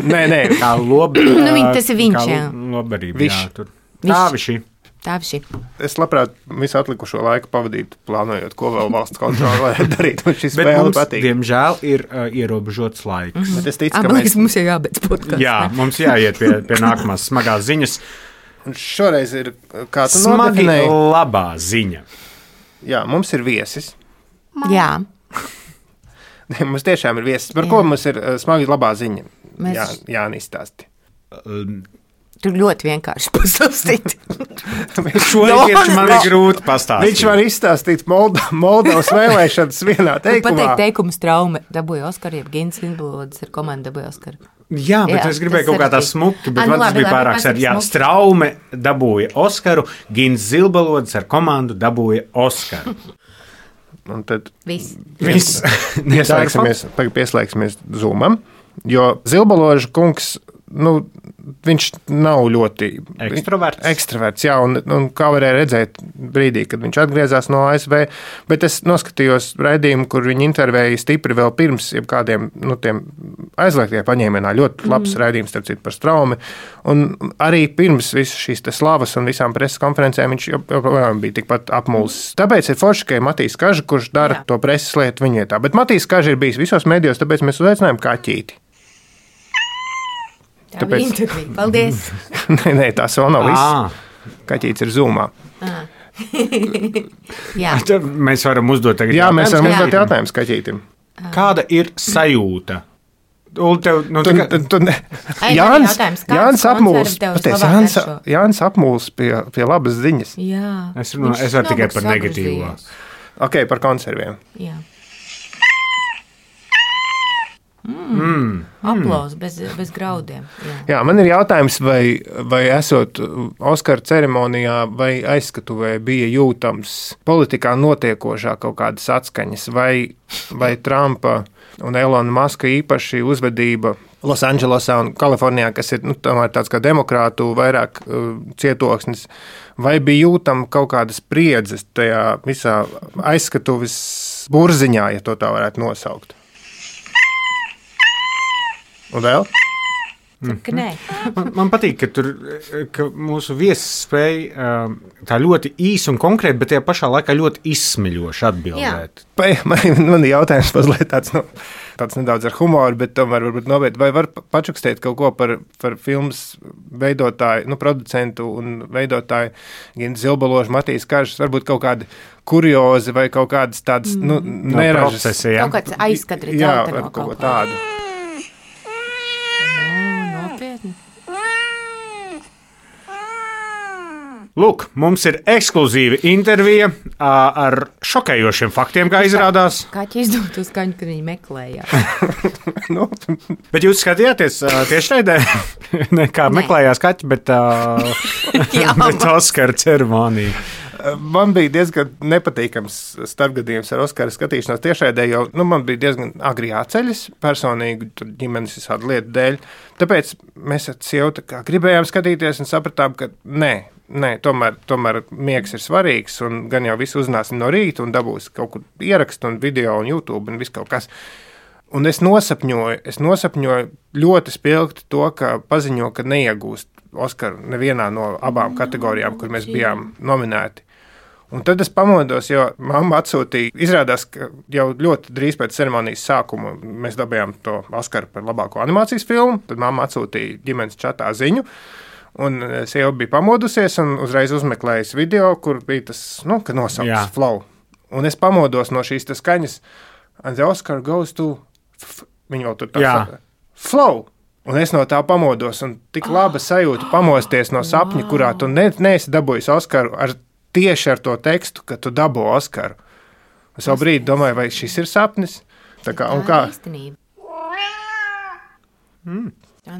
Nē, nē. Kā lobi, Nu, viņi- tas ir viņš, kā jā. Lobarība, Viš. jā, tur. Viš. Tā viši. Tā šī. Es labprāt visu atlikušo laiku pavadītu, plānojot, ko vēl valsts kontrole varētu darīt. Man šis Bet spēle mums, patīk. diemžēl, ir uh, ierobežots laiks. Mhm. Bet es ticu, Ah, ka man mēs liekas, mums jau jābeidz podkāsts. Jā, mums jāiet pie, pie nākamās smagās ziņas. un šoreiz ir kā tu Smagi nodefinēji. labā ziņa. Jā, mums ir viesis. Jā. Mums tiešām ir viesis. Par Jā. ko mums ir uh, smagi labā ziņa? Mēs- Jā, Jānis stāsti. Um, Tur ļoti vienkārši pastāstīt. Šo tieši man ir grūti pastāstīt. Viņš var izstāstīt Molda, Moldovas vēlēšanas vienā teikumā. Pateikt teikumu straume. Dabūja Oskaru, jeb Gins Lindblods ar komandu dabūja Oskaru. Jā, bet Jā, es gribēju tas kaut kā tā sarežģīti. smuki, bet Ah, nu man tas labi, bija labi, pārāk pasaki sēr. Jā, smuki. Straume dabūja Oskaru, Gins Zilbalods ar komandu dabūja Oskaru. Un tad Viss. Viss. pieslēgsimies, tagad pieslēgsimies Zoomam, jo Zilbaloža kungs, nu, viņš nav ļoti Ekstraverts. ekstraverts, jā, un, un kā varēja redzēt brīdī, kad viņš atgriezās no A S V, bet es noskatījos raidījumu, kur viņi intervēja stipri vēl pirms jebkādiem, nu, tiem aizliegtie paņēmienā, ļoti labs mm. raidījums, starp citu, par Straumi, un arī pirms visas šīs te slavas un visām preses konferencēm viņš joprojām bija tikpat apmulsis. Tāpēc ir forši, ka ir Matīs Kaža, kurš dara Jā. to preses lietu viņietā, bet Matīs Kaža ir bijis visos medijos, tāpēc mēs uzaicinājām Kaķīti. Tā Tāpēc- bija intervija. Paldies. Nē, nē, tas vēl nav viss. Ah, Kaķītis ir Zoomā. Jā. tad mēs varam uzdot tagad Jā, mēs varam Jā. uzdot jautājumus Kaķītim. Kāda ir sajūta? Un tev, nu, Tu, tā tu, tu, ne. Ai, man ir Jānis, jautājums, kāds Jānis apmuls, koncerts tev paties, labāk Jānis, garšo? Jānis apmuls pie, pie labas ziņas. Jā. Es runāju- Viņš es varu tikai smagu par negatīvo. sagrozījās. Ok, par konserviem. Jā. Mm. Aplaus bez, bez graudiem. Jā. Jā, man ir jautājums, vai, vai esot Oskara ceremonijā vai aizskatuvē bija jūtams politikā notiekošā kaut kādas atskaņas, vai, vai Trumpa un Elona Maska īpaši uzvedība Losandželosā un Kalifornijā, kas ir nu, tomēr tāds kā demokrātu vairāk uh, cietoksnis, vai bija jūtama kaut kādas spriedzes tajā visā aizskatuves burziņā, ja to tā varētu nosaukt? Un vēl? Ka nē. Man, man patīk, ka, tur, ka mūsu viesis spēja um, tā ļoti īsi un konkrēti, bet tajā pašā laikā ļoti izsmeļoši atbildēt. Vai, man, man ir jautājums mazliet tāds, nu, tāds nedaudz ar humoru, bet tomēr varbūt nopietni. Vai var pačukstēt kaut ko par, par filmas veidotāju, nu, producentu un veidotāju Gintu Zilbaložu, Matīs Kažas, varbūt kaut kādi kuriozi vai kaut kādas tādas, nu, No neražas. procesa, jā. Kaut kāds aizskatri Jā, dzelteno ar kaut ko kaut ko. tādu. O, nopietni. Lūk, mums ir ekskluzīva intervija ā, ar šokējošiem faktiem, kā izrādās. Kaķi izdod to skaņu, kad viņi meklēja. Nu, Bet jūs skatījāties ā, tiešraidē, ne kā Nē. meklējās kaķi, bet, ā, Jā, bet Oskara ceremonija. man bija diezgan nepatīkams starpgadījums ar Oskara skatīšanos tiešraidē, jo nu, man bija diezgan agri jāceļas personīgi, tur ģimenes visādi lietu dēļ. Tāpēc mēs ar sievu tā kā gribējām skatīties un sapratām, ka nē, nē tomēr, tomēr miegs ir svarīgs un gan jau visu uzzināsim no rīta un dabūs kaut kur ierakstu un video un YouTube un viss kaut kas. Un es nosapņoju, es nosapņoju ļoti spilgti to, ka paziņo, ka neiegūst Oskaru nevienā no abām kategorijām, kur mēs bijām nominēti. Un tad es pamodos, jo mamma atsūtīja, izrādās, ka jau ļoti drīz pēc ceremonijas sākuma mēs dabījām to Oskaru par labāko animācijas filmu, tad mamma atsūtīja ģimenes čatā ziņu, Un sieva bija pamodusies un uzreiz uzmeklējusi video, kur bija tas, nu, kad nosaukts flow. Un es pamodos no šīs tas skaņas, and the Oscar goes to, f- viņa vēl tur tā saka, flow. Un es no tā pamodos, un tik laba sajūta pamosties no sapņa, kurā tu ne, neesi dabūjis Oskaru ar, tieši ar to tekstu, ka tu dabū Oskaru. Es jau brīdi domāju, vai šis ir sapnis? Tā kā, un kā? Mm.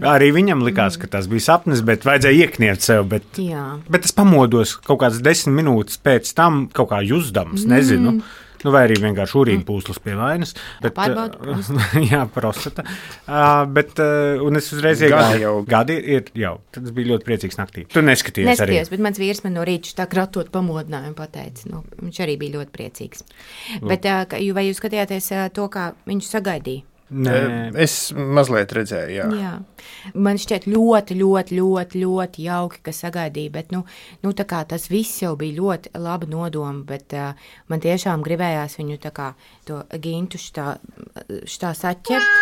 Arī viņam likās, ka tas bija sapnis, bet vajadzēja iekniegt sev. Bet, Jā. bet es pamodos kaut kādas desmit minūtes pēc tam, kaut kā jusdams, nezinu. Mm. Nu, vai arī vienkārši urīna pūslas pie vainas. Bet, Pārbaudu prostatu. Jā, prostata. Uh, bet, uh, un es uzreiz iegāju. Jau. Gadi ir jau. Tad es biju ļoti priecīgs naktī. Tu neskaties Neskatījos, arī. Neskatījos, bet mans vīrs man no rīta tā kratot pamodināja un pateica. Nu, viņš arī bija ļoti priecīgs. Lūk. Bet uh, vai jūs skatījāties uh, to, kā viņš sagaidīja? Nē. Es mazliet redzēju, jā. jā. Man šķiet ļoti, ļoti, ļoti, ļoti jauki, ka sagaidīja, bet nu, nu, tā kā tas viss jau bija ļoti laba nodoma, bet uh, man tiešām gribējās viņu tā kā to gintu šitā, šitā saķert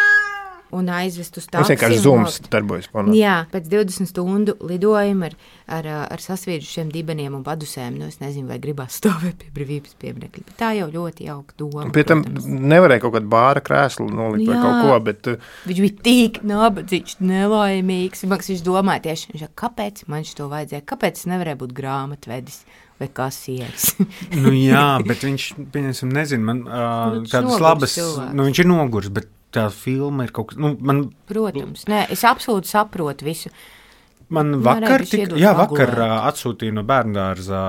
un aizvest uz taksi. Mums vienkārši zooms darbojas. Ponā. Jā, pēc divdesmit stundu lidojuma ar, ar, ar sasviežušiem dibeniem un padusēm, nu es nezinu, vai gribās stāvēt pie brīvības pieminiekļa, bet tā jau ļoti jauka doma. Pie tam nevarēja kaut kādu bāra krēslu nolikt vai kaut ko, bet... Viņš bija tik nabadzīgs, nelaimīgs, maks viņš domāja tieši, viņš, kāpēc man šito vajadzēja, kāpēc es nevarēju būt grāmatvedis vai kasieris? Nu jā, bet viņš, pieņemsim, nezinu, man uh, tādas labas, cilvēks. Nu viņš ir nogurs, bet tā filma ir kaut kas, nu, man... Protams, nē, es absolūti saprotu visu. Man vakar, tik, jā, vakar uh, atsūtīja no bērndārza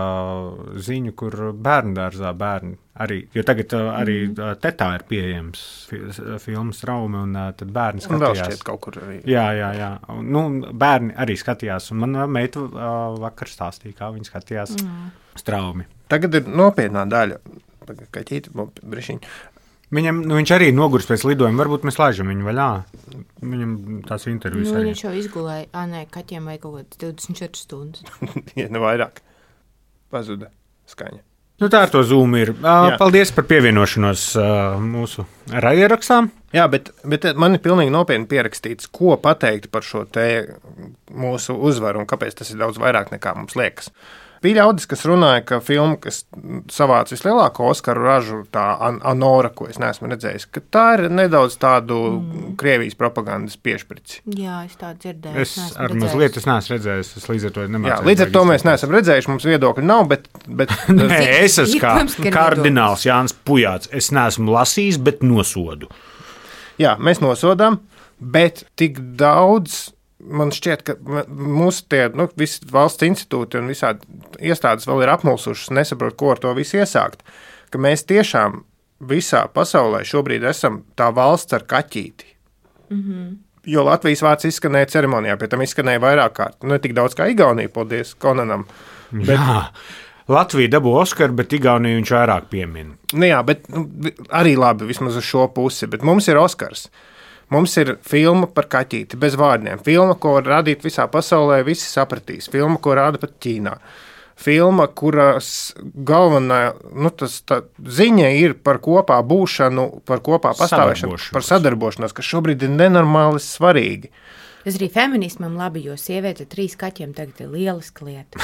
ziņu, kur bērndārzā bērni arī, jo tagad uh, arī uh, tetā ir pieejams fi, filmas Raumi, un uh, tad bērni skatījās. Un vēl šķiet kaut kur arī. Jā, jā, jā. Un, nu, bērni arī skatījās, un man meita uh, vakar stāstīja, kā viņi skatījās mm. Straumi. Tagad ir nopietnā daļa, kaķīti, brišiņi. Viņam, nu, viņš arī noguris pēc lidojuma, varbūt mēs laižam viņu vaļā. Viņam tās intervijas nu, arī. Viņš jau izgulēja, ā, nē, kaķiem vai kaut kāds divdesmit četras stundas. Ja, ne vairāk. Pazuda skaņa. Nu, tā ar to Zoom ir. Uh, paldies par pievienošanos uh, mūsu raidierakstām. Jā, bet, bet man ir pilnīgi nopietni pierakstīts, ko pateikt par šo te mūsu uzvaru un kāpēc tas ir daudz vairāk nekā mums liekas. Bija ļaudis, kas runāja, ka filma, kas savāca vislielāko Oskaru ražu, tā Anora, ko es neesmu redzējis, ka tā ir nedaudz tādu mm. Krievijas propagandas piešprici. Jā, es tā dzirdēju. Es, es ar mazliet es neesmu redzējis, es līdz ar to nemācēju. Jā, līdz ar to mēs neesam redzējuši, mums viedokļi nav, bet... bet Nē, es esmu kā kardināls Jānis Pujāts, es neesmu lasījis, bet nosodu. Jā, mēs nosodām, bet tik daudz... Man šķiet, ka mūsu tie, nu, visi valsts institūti un visādi iestādes vēl ir apmulsušas, nesaprot, ko ar to visu iesākt. Ka mēs tiešām visā pasaulē šobrīd esam tā valsts ar kaķīti. Mm-hmm. Jo Latvijas vārds izskanēja ceremonijā, pie tam izskanēja vairāk kārt. Nu, ne tik daudz kā Igaunija, paldies Konanam. Bet... Jā, Latvija dabū Oskaru, bet Igauniju viņš vairāk piemin. Nu jā, bet nu, arī labi vismaz uz šo pusi, bet mums ir Oskars. Mums ir filma par kaķīti, bez vārdiem. Filma, ko var radīt visā pasaulē, visi sapratīs. Filma, ko rāda pat Ķīnā. Filma, kuras galvenā nu, tas, tā, ziņa ir par kopā būšanu, par kopā pastāvēšanu, par sadarbošanos, kas šobrīd ir nenormāli svarīgi. Tas arī feminismam labi, jo sieviete ar trīs kaķiem tagad ir lieliska lieta.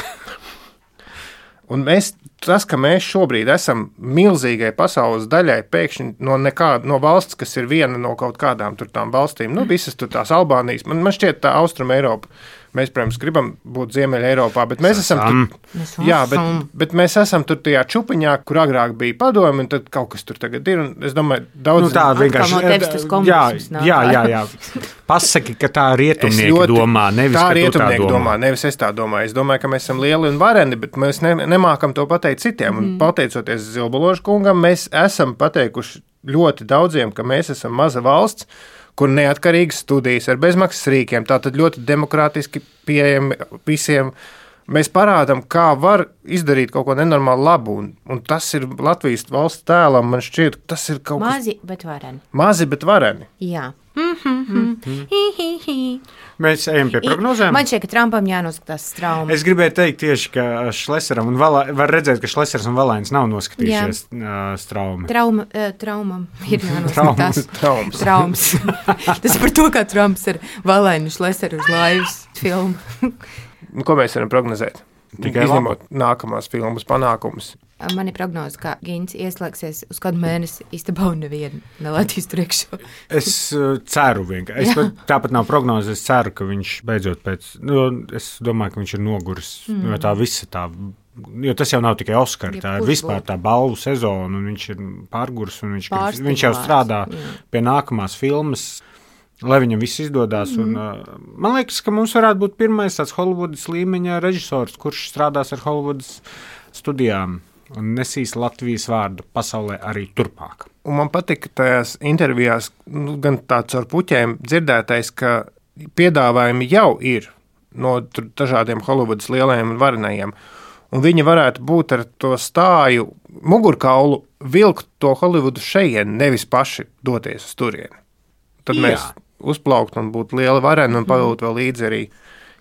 Un mēs, tas, ka mēs šobrīd esam milzīgai pasaules daļai pēkšņi no, nekā, no valsts, kas ir viena no kaut kādām tur tām valstīm, nu visas tur tās Albānijas, man, man šķiet tā Austrum Eiropa, mēs, protams, gribam būt Ziemeļa Eiropā, bet mēs esam tur, jā, bet, bet mēs esam tur tajā čupiņā, kur agrāk bija padomi, un tad kaut kas tur tagad ir, un es domāju, daudz... Nu tā vienkārši, no jā, jā, jā, jā, pasaki, ka tā rietumnieki ļoti, domā, nevis, tā ka tu tā domā. domā. Nevis es tā domāju, es domāju, ka mēs esam lieli un vareni, bet mēs ne, nemākam to pateikt citiem, un mm. pateicoties Zilbalošu kungam, mēs esam pateikuši ļoti daudziem, ka mēs esam maza valsts, kur neatkarīgas studijas ar bezmaksas rīkiem, tātad ļoti demokrātiski pieejami visiem. Mēs parādām, kā var izdarīt kaut ko nenormāli labu, un, un tas ir Latvijas valsts tēlam, man šķiet, tas ir kaut Mazi, kas... bet vareni. Mazi, bet vareni. Jā, Mēs ejam pie prognozēm. Man šķiet, ka Trumpam jānoskatās straumi. Es gribēju teikt tieši, ka Šleseram un Valā, var redzēt, ka Šlesers un Valains nav noskatījušies uh, straumi. Trauma, uh, traumam ir jānoskatās. Traums. Traums. Tas par to, kā Trumps ar Valainu Šleseru uz laivas filmu. Nu, ko mēs varam prognozēt? Tikai izņemot nākamās filmas panākumus. Man ir prognoze, ka Gins ieslēgsies uz kādu mēnesi istabā un nevienu nelādīs tur iekšā. Es uh, ceru vienkārši. Es pat, tāpat nav prognoze. Es ceru, ka viņš beidzot pēc. Nu, es domāju, ka viņš ir noguris mm. no tā visa tā. Jo tas jau nav tikai Oskar, tā ir vispār tā balvu sezona, un viņš ir pārguris, un viņš, viņš jau strādā jā. Pie nākamās filmas. Lai viņam viss izdodas. Mm. Un, uh, man liekas, ka mums varētu būt pirmais tāds Holivudas līmeņa režisors, kurš strādās ar Holivudas studijām un nesīs Latvijas vārdu pasaulē arī turpmāk. Un man patika tajās intervijās, nu, gan tāds ar puķiem dzirdētais, ka piedāvājumi jau ir no dažādiem Holivudas lielajiem un varenajiem. Un viņi varētu būt ar to stāju mugurkaulu vilkt to Holivudu šeien, nevis paši doties uz turieni. Tad Jā. Mēs uzplaukt un būt liela varena un pavilkt vēl līdzi arī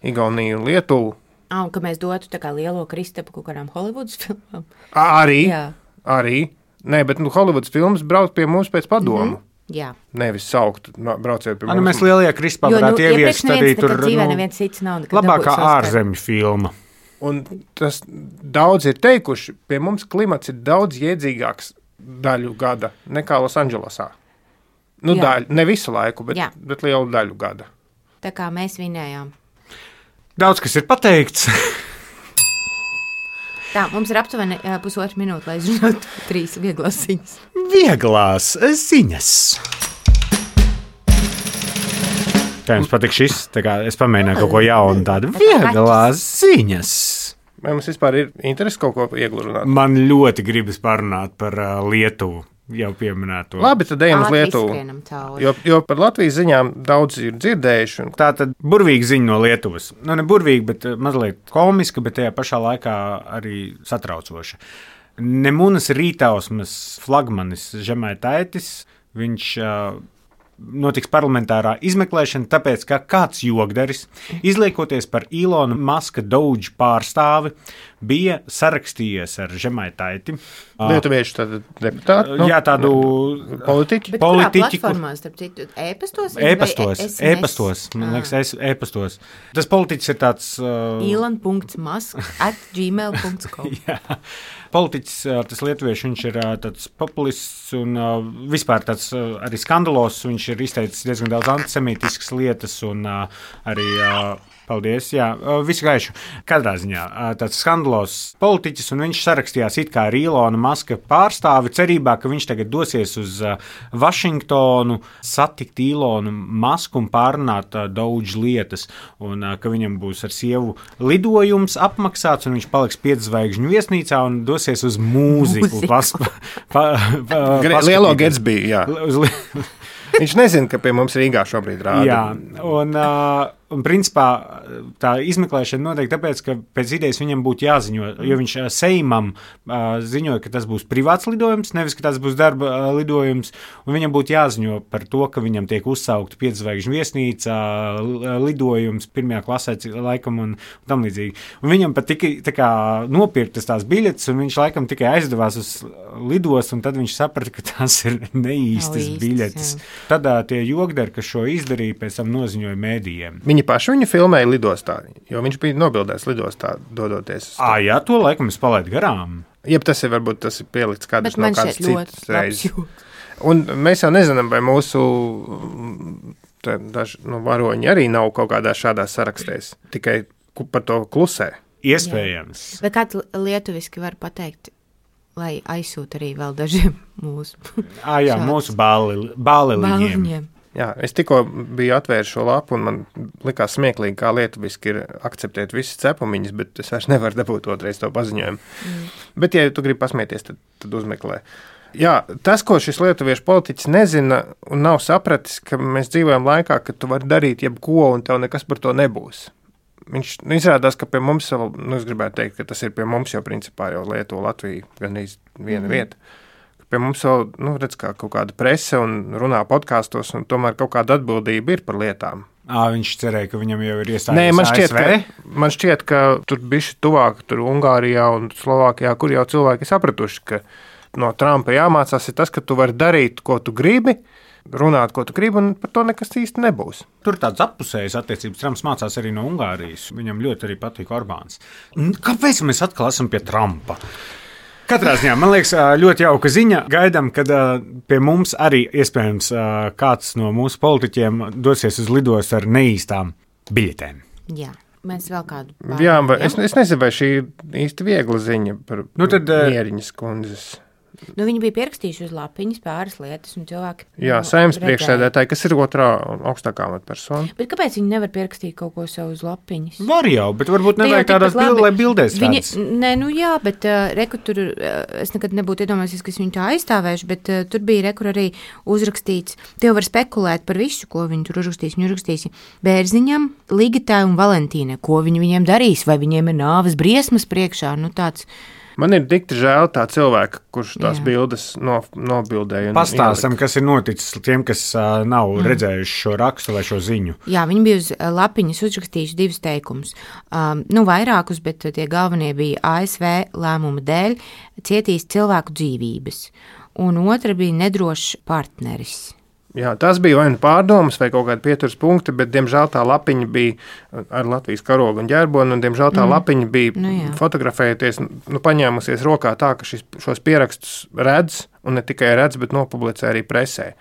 Igauniju un Lietuvu. Ah, un ka mēs dotu tā kā lielo Kristapu kaut kādām Holivudas filmām. Arī, Jā. arī. Nē, bet nu, Holivudas filmas brauc pie mums pēc padomu. Mm-hmm. Jā. Nevis saukt, brauciet pie mums. Nu, mēs lielajā Kristapā varētu jo, nu, ieviest arī tur dzīvē, neviens cits nav labākā ārzemju filma. Un tas daudz ir teikuši, pie mums klimats ir daudz iedzīgāks daļu gada nekā Losandželosā. Nu, daļu, ne visu laiku, bet, bet lielu daļu gada. Tā kā mēs vinējām. Daudz, kas ir pateikts. Tā, mums ir aptuveni uh, pusotru minūti, lai izrunātu trīs vieglās ziņas. Vieglās ziņas. Kā jums patīk šis? Tā kā es pamēģināju kaut ko jaunu tādu. Vieglās ziņas. Vai mums vispār ir interesi kaut ko vieglu runāt? Man ļoti gribas parunāt par uh, Lietuvu. Jau pieminēto. Labi, tad ejam uz Lietuvu. Jo, jo par Latvijas ziņām daudz ir dzirdējuši. Un... Tā tad burvīga ziņa no Lietuvas. Nu, ne burvīga, bet mazliet komiska, bet tajā pašā laikā arī satraucoša. Nemunas Rītausmas flagmanis Žemaitaitis, viņš uh, notiks parlamentārā izmeklēšana, tāpēc, ka kāds jogdaris, izliekoties par Ilona Maska Doge pārstāvi, bija sarakstījies ar Žemaitaiti. Lietuviešu tādu deputātu? Nu, jā, tādu politiķu. Bet kurā platformā, starp citu, e-pastos? E-pastos, e-pastos, man liekas, e-pastos. Tas politiķis ir tāds... Uh... Elon dot musk at gmail dot com. Jā, politiķis, tas lietuviešu, viņš ir tāds populists un uh, vispār tāds uh, arī skandalos, viņš ir izteicis diezgan daudz antisemītiskas lietas un uh, arī... Uh, Paldies, jā, visu gaišu. Katrā ziņā tāds skandalos politiķis, un viņš sarakstījās it kā ar Ilona Maska pārstāvi cerībā, ka viņš tagad dosies uz Vašingtonu, satikt Ilonu Masku un pārunāt daudz lietas, un ka viņam būs ar sievu lidojums apmaksāts, un viņš paliks piedzvaigžņu viesnīcā un dosies uz mūziku. Pas, pa, pa, pa, Lielo Gatsby, jā. Uz li... Viņš nezina, ka pie mums Rīgā šobrīd rāda. Jā, un, uh, un principā tā izmeklēšana notiek tāpēc, ka pēc idejas viņam būtu jāziņo, jo viņš uh, Seimam uh, ziņoja, ka tas būs privāts lidojums, nevis, ka tas būs darba uh, lidojums, un viņam būtu jāziņo par to, ka viņam tiek uzsaukta piedzvaigžņu viesnīca, uh, lidojums pirmajā klasē laikam un, un tam līdzīgi. Un viņam pat tikai tā kā nopirktas tās biļetes, un viņš laikam tikai aizdevās uz lidos, un tad viņš saprata, ka tās ir neīstas īstas, biļetes. Jā. Tad uh, tie jogdari, kas šo izdarīja, pēc tam noziņoja mēdījiem. Viņi paši viņu filmēja lidostā, jo viņš bija nobildēts lidostā, dodoties. Ā, jā, to laikam es palaidu garām. Jeb tas ir, varbūt tas ir pielikts kādas no kādas citas reizes. Ļoti. Un mēs jau nezinām, vai mūsu tā, daži nu, varoņi arī nav kaut kādā šādā sarakstēs, tikai par to klusē. Iespējams. Jā. Vai kāds lietuviski var pateikt, lai aizsūta arī vēl dažiem mūsu. Ā, jā, Šāds. mūsu bāli, bāliņiem. Jā, es tikko biju atvērs šo lapu, un man likās smieklīgi, kā lietuviski ir akceptēt visas cepumiņas, bet es vairs nevaru dabūt otrais to paziņojumu. Mm. Bet, ja tu gribi pasmieties, tad, tad uzmeklē. Jā, tas, ko šis lietuviešu politiķis nezina un nav sapratis, ka mēs dzīvojam laikā, kad tu vari darīt jebko, un tev nekas par to nebūs. Viņš nu, izrādās, ka pie mums, nu, es gribētu teikt, ka tas ir pie mums jau principā jau Lietuva, Latvija, gan viena mm. vieta. pie mums vēl, nu, redz, kā kaut kāda prese un runā podkāstos, un tomēr kaut kāda atbildība ir par lietām. À, viņš cerēja, ka viņam jau ir iestājies Nē, man šķiet, A S V. ka, man šķiet, ka tur bišķi tuvāk, tur Ungārijā un Slovākijā, kur jau cilvēki sapratuši, ka no Trumpa jāmācās ir tas, ka tu vari darīt, ko tu gribi, runāt, ko tu gribi, un par to nekas īsti nebūs. Tur tāds appusējs attiecības. Trumps mācās arī no Ungārijas. Viņam ļoti arī patīk Orbāns. Kāpēc mēs atkal esam pie Trumpa? Katrā ziņā, man liekas, ļoti jauka ziņa. Gaidām, kad pie mums arī iespējams kāds no mūsu politiķiem dosies uz lidostu ar neīstām biļetēm. Jā. Mēs vēl kādu pārējām. Jā, bet es, es nezinu, vai šī ir īsti viegla ziņa par Nu tad, Mieriņas kundzes. Nu, viņi bija pierakstījuši uz lapiņas pāris lietas, un cilvēki. Jā, nu, Saeimas redzēja. priekšsēdētāji, kas ir otrā augstākā amatpersona. Bet kāpēc viņi nevar pierakstīt kaut ko sev uz lapiņas? Var jau, bet varbūt Te jau nevajag tādās tikpat labi. bild, lai bildēs Viņi, redz. nē, nu jā, bet uh, reku tur, uh, es nekad nebūtu iedomājies, ka es viņu tā aizstāvēšu, bet uh, tur bija rekur arī uzrakstīts, tie var spekulēt par visu, ko viņi tur uzrakstīs. Viņi uzrakstīs Bērziņam, Ligitai un Valentīnai, ko viņi viņiem darīs, vai viņiem ir nāves briesmas priekšā, nu tāds. Man ir dikti žēl tā cilvēka, kurš tās Jā. bildes no, nobildēja. un Pastāstam, ielika. kas ir noticis tiem, kas uh, nav mm. redzējuši šo rakstu vai šo ziņu. Jā, viņi bija uz uh, lapiņas uzrakstījuši divus teikumus. Um, nu, vairākus, bet tie galvenie bija A S V lēmuma dēļ cietīs cilvēku dzīvības. Un otra bija nedrošs partneris. Jā, tas bija vai nu pārdomas, vai kaut kāda pieturas punkti, bet, diemžēl, tā lapiņa bija ar Latvijas karogu un ģerboni, un, diemžēl, tā mm. lapiņa bija Nu jā. fotografējoties, nu, paņēmusies rokā tā, ka šis, šos pierakstus redz, un ne tikai redz, bet nopublicē arī presē.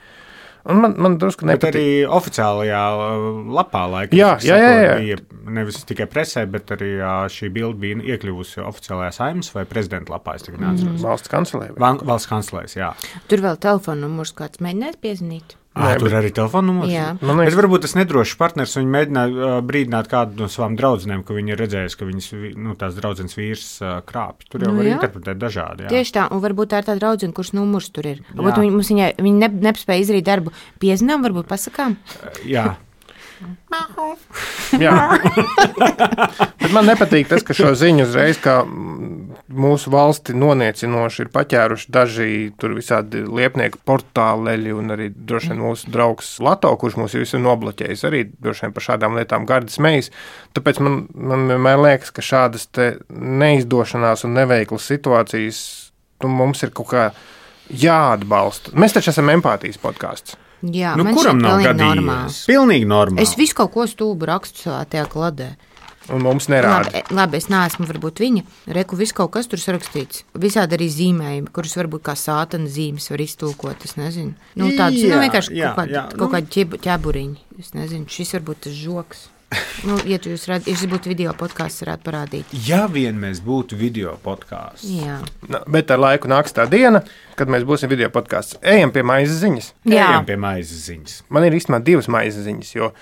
Un man, man drusku Bet nepatīk. arī oficiālajā uh, lapā laikam, Jā, cik jā, jā, saprotu, jā. bija nevis tikai presē, bet arī uh, šī bilde bija iekļuvusi oficiālajā Saeimas vai prezidenta lapā. Es tagad neatceros. Valsts kancelē. Val- Valsts kanclēs, jā. Tur vēl telefona numurs kāds mēģināt piezvanīt. À, Nē, tur bet- arī telefona numurs. Jā. Man Bet liekas, varbūt tas nedrošs partners, viņi mēģināja uh, brīdināt kādu no savām draudzenēm, ka viņi ir redzējuši, ka viņas, vi- nu, tās draudzenes vīrs uh, krāpj. Tur jau Nu var jā. interpretēt dažādi. Jā. Tieši tā, un varbūt tā ir tā draudzene, kurš numurs tur ir. Varbūt Jā. viņi, mums viņai, viņi ne, nespēja izdarīt darbu piezinām, varbūt pasakām. jā. jā. Bet man nepatīk tas, ka šo ziņu uzreiz, kā mūsu valsti noniecinoši ir paķēruši daži tur visādi liepnieku portāleļi un arī droši vien mūsu draugs Lato, kurš mūs visu ir nobloķējis, arī droši vien par šādām lietām gardas mejas. Tāpēc man, man vienmēr liekas, ka šādas te neizdošanās un neveiklas situācijas nu, mums ir kaut kā jāatbalsta. Mēs taču esam empātijas podkāsts. Jā, Nu, man kuram šķiet nav pilnīgi gadījies? normāls. Pilnīgi normāli. Es visu kaut ko stulbu rakstu savā tajā kladē. Un mums nerāda. Labi, labi, es neesmu varbūt viņa. Reku viss kaut kas tur sarakstīts. Visādi arī zīmējumi, kurus varbūt kā sātana zīmes var iztulkot. Es nezinu. Nu, tādas, Jā, nu, vienkārši jā, kaut kādi, jā, kaut nu. kādi ķeb, ķeburiņi. Es nezinu, šis varbūt tas žoks. Nu, ja tu jūs redzat, ja šis būtu video podkāsts, varētu parādīt. Ja vien mēs būtu video podkāsts. Jā. Nu, bet ar laiku nāks tā diena, kad mēs būsim video podkāsts. Ejam pie maizes ziņas. Jā. Ejam pie maizes ziņas. Man ir īstenībā divas maizes ziņas, jo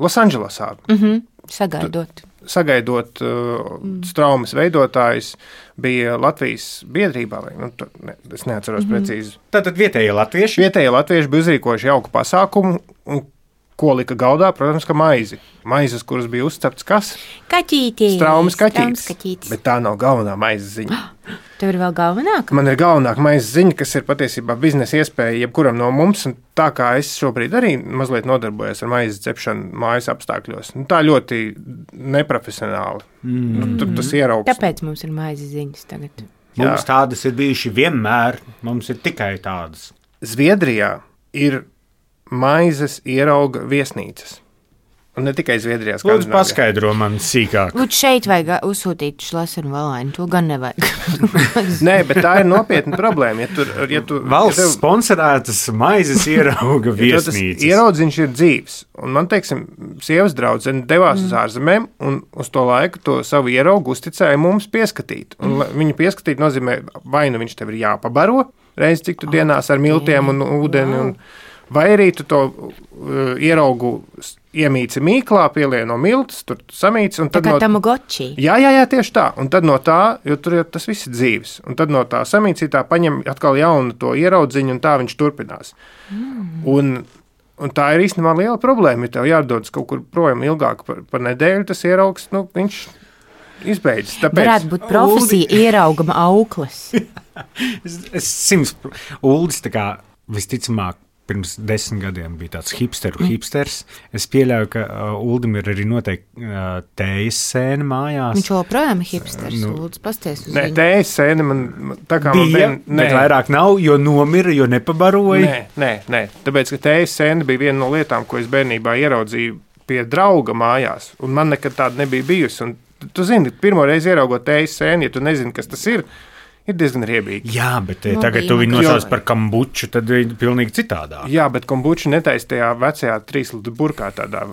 Losandželosā Mhm. Sagaidot. sagaidot uh, straumes veidotājus, bija Latvijas biedrībā, vai, nu, tu, ne, es neatceros mm-hmm. precīzi. Tātad vietējie latvieši. Vietējie latvieši bija uzrīkojuši jauku pasākumu, un ko lika galdā, protams, ka maizi. Maizes, kuras bija uzceptas kas? Kaķītis. Straumes kaķītis. Straumes kaķītis. Bet tā nav galvenā maizes ziņa. Tev ir vēl galvenāka? Man ir galvenākā maizes ziņa, kas ir patiesībā biznesa iespēja jebkuram no mums, un tā kā es šobrīd arī mazliet nodarbojos ar maizes cepšanu mājas apstākļos, nu, tā ļoti neprofesionāli. Mm. Nu, tu, tas ieraugs. Tāpēc mums ir maizes ziņas tagad. Mums tādas ir bijušas vienmēr. Mums ir tikai tādas. Zviedrijā ir maizes ierauga viesnīcas. Un ne tikai Zviedrijā. Lūdzu, paskaidro man sīkāk. Lūdzu, šeit vajag uzsūtīt šlasenu valainu. To gan nevajag. Nē, bet tā ir nopietna problēma. Ja tur, ja tu, Valsts ja tev- sponsorētas maizes ierauga ja tev tas viesnīcas. ieraudziņš ir dzīves. Un man, teiksim, sievas draudzene devās mm. uz ārzemēm un uz to laiku to savu ieraugu uzticēja mums pieskatīt. Un mm. viņu pieskatīt nozīmē, vai nu viņš tev ir jāpabaro reiz cik tu oh, dienās ar miltiem un ūdeni. Wow. Un, vai arī tu to uh, ieraugu iemīci mīklā, pielien no miltas, tur samīci. Tā kā no, Tamagotchi. jā, jā, jā, tieši tā. Un tad no tā, jo tur jau tas viss ir dzīves. Un tad no tā samīcītā paņem atkal jaunu to ieraudziņu, un tā viņš turpinās. Mm. Un, un tā ir īstenībā liela problēma. Ja tev jādodas kaut kur projām ilgāk par, par nedēļu, tas ieraugs, nu, viņš izbeidzis. Tāpēc Varētu būt profesija ieraugama auklis. es, es simts, Uldis tā kā visticamāk pirms desmit gadiem bija tāds hipsteru mm. hipsters. Es pieļauju, ka uh, Uldim ir arī noteikti uh, tējas sēna mājās. Viņš joprojām ir hipsters, Nu, lūdzu, pasties uz Nē, viņu. tējas sēne man tā kā man Bija, vien, bet vairāk nav, jo nomira, jo nepabaroja. Nē, nē, nē, tāpēc, ka tējas sēne bija viena no lietām, ko es bērnībā ieraudzīju pie drauga mājās, un man nekad tāda nebija bijusi. Un tu zini, pirmo reizi ieraugot tējas sēni, ja tu nezini, kas tas ir, ir diezgan riebīgi. Jā, bet Nu, tagad bija tu viņu man- nosauc par kambuču, tad ir pilnīgi citādāk. Jā, bet kombuču netaisa tajā vecajā trīslīdu burkā tādā.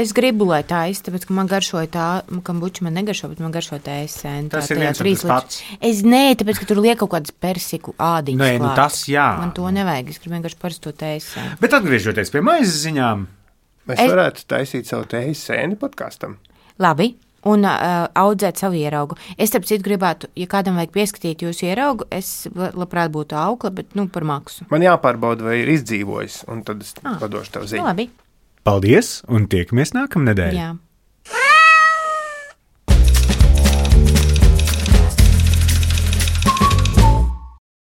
Es gribu, lai tā ir, tāpēc, ka man garšoja tā, kambuča man negaršo, bet man garšo tā ēsēna. Tas ir viens un tas pats. Es nē, tāpēc, ka tur liek kaut kādas persiku ādiņas. Nē, nu klāt. tas jā. Man to nevajag, es gribu vienkārši parasto ēsēnu. Bet atgriežoties pie maizes ziņām, Mēs Es- varētu taisīt savu tējas sēni podkāstam. Labi. Un uh, audzēt savu ieraugu. Es, starp citu, gribētu, ja kādam vajag pieskatīt jūsu ieraugu, es la- labprāt būtu aukla, bet, nu, par maksu. Man jāpārbauda, vai ir izdzīvojis, un tad es Ah. padošu tev Nu, ziņu. labi. paldies un tiekamies nākamnedēļ! Jā.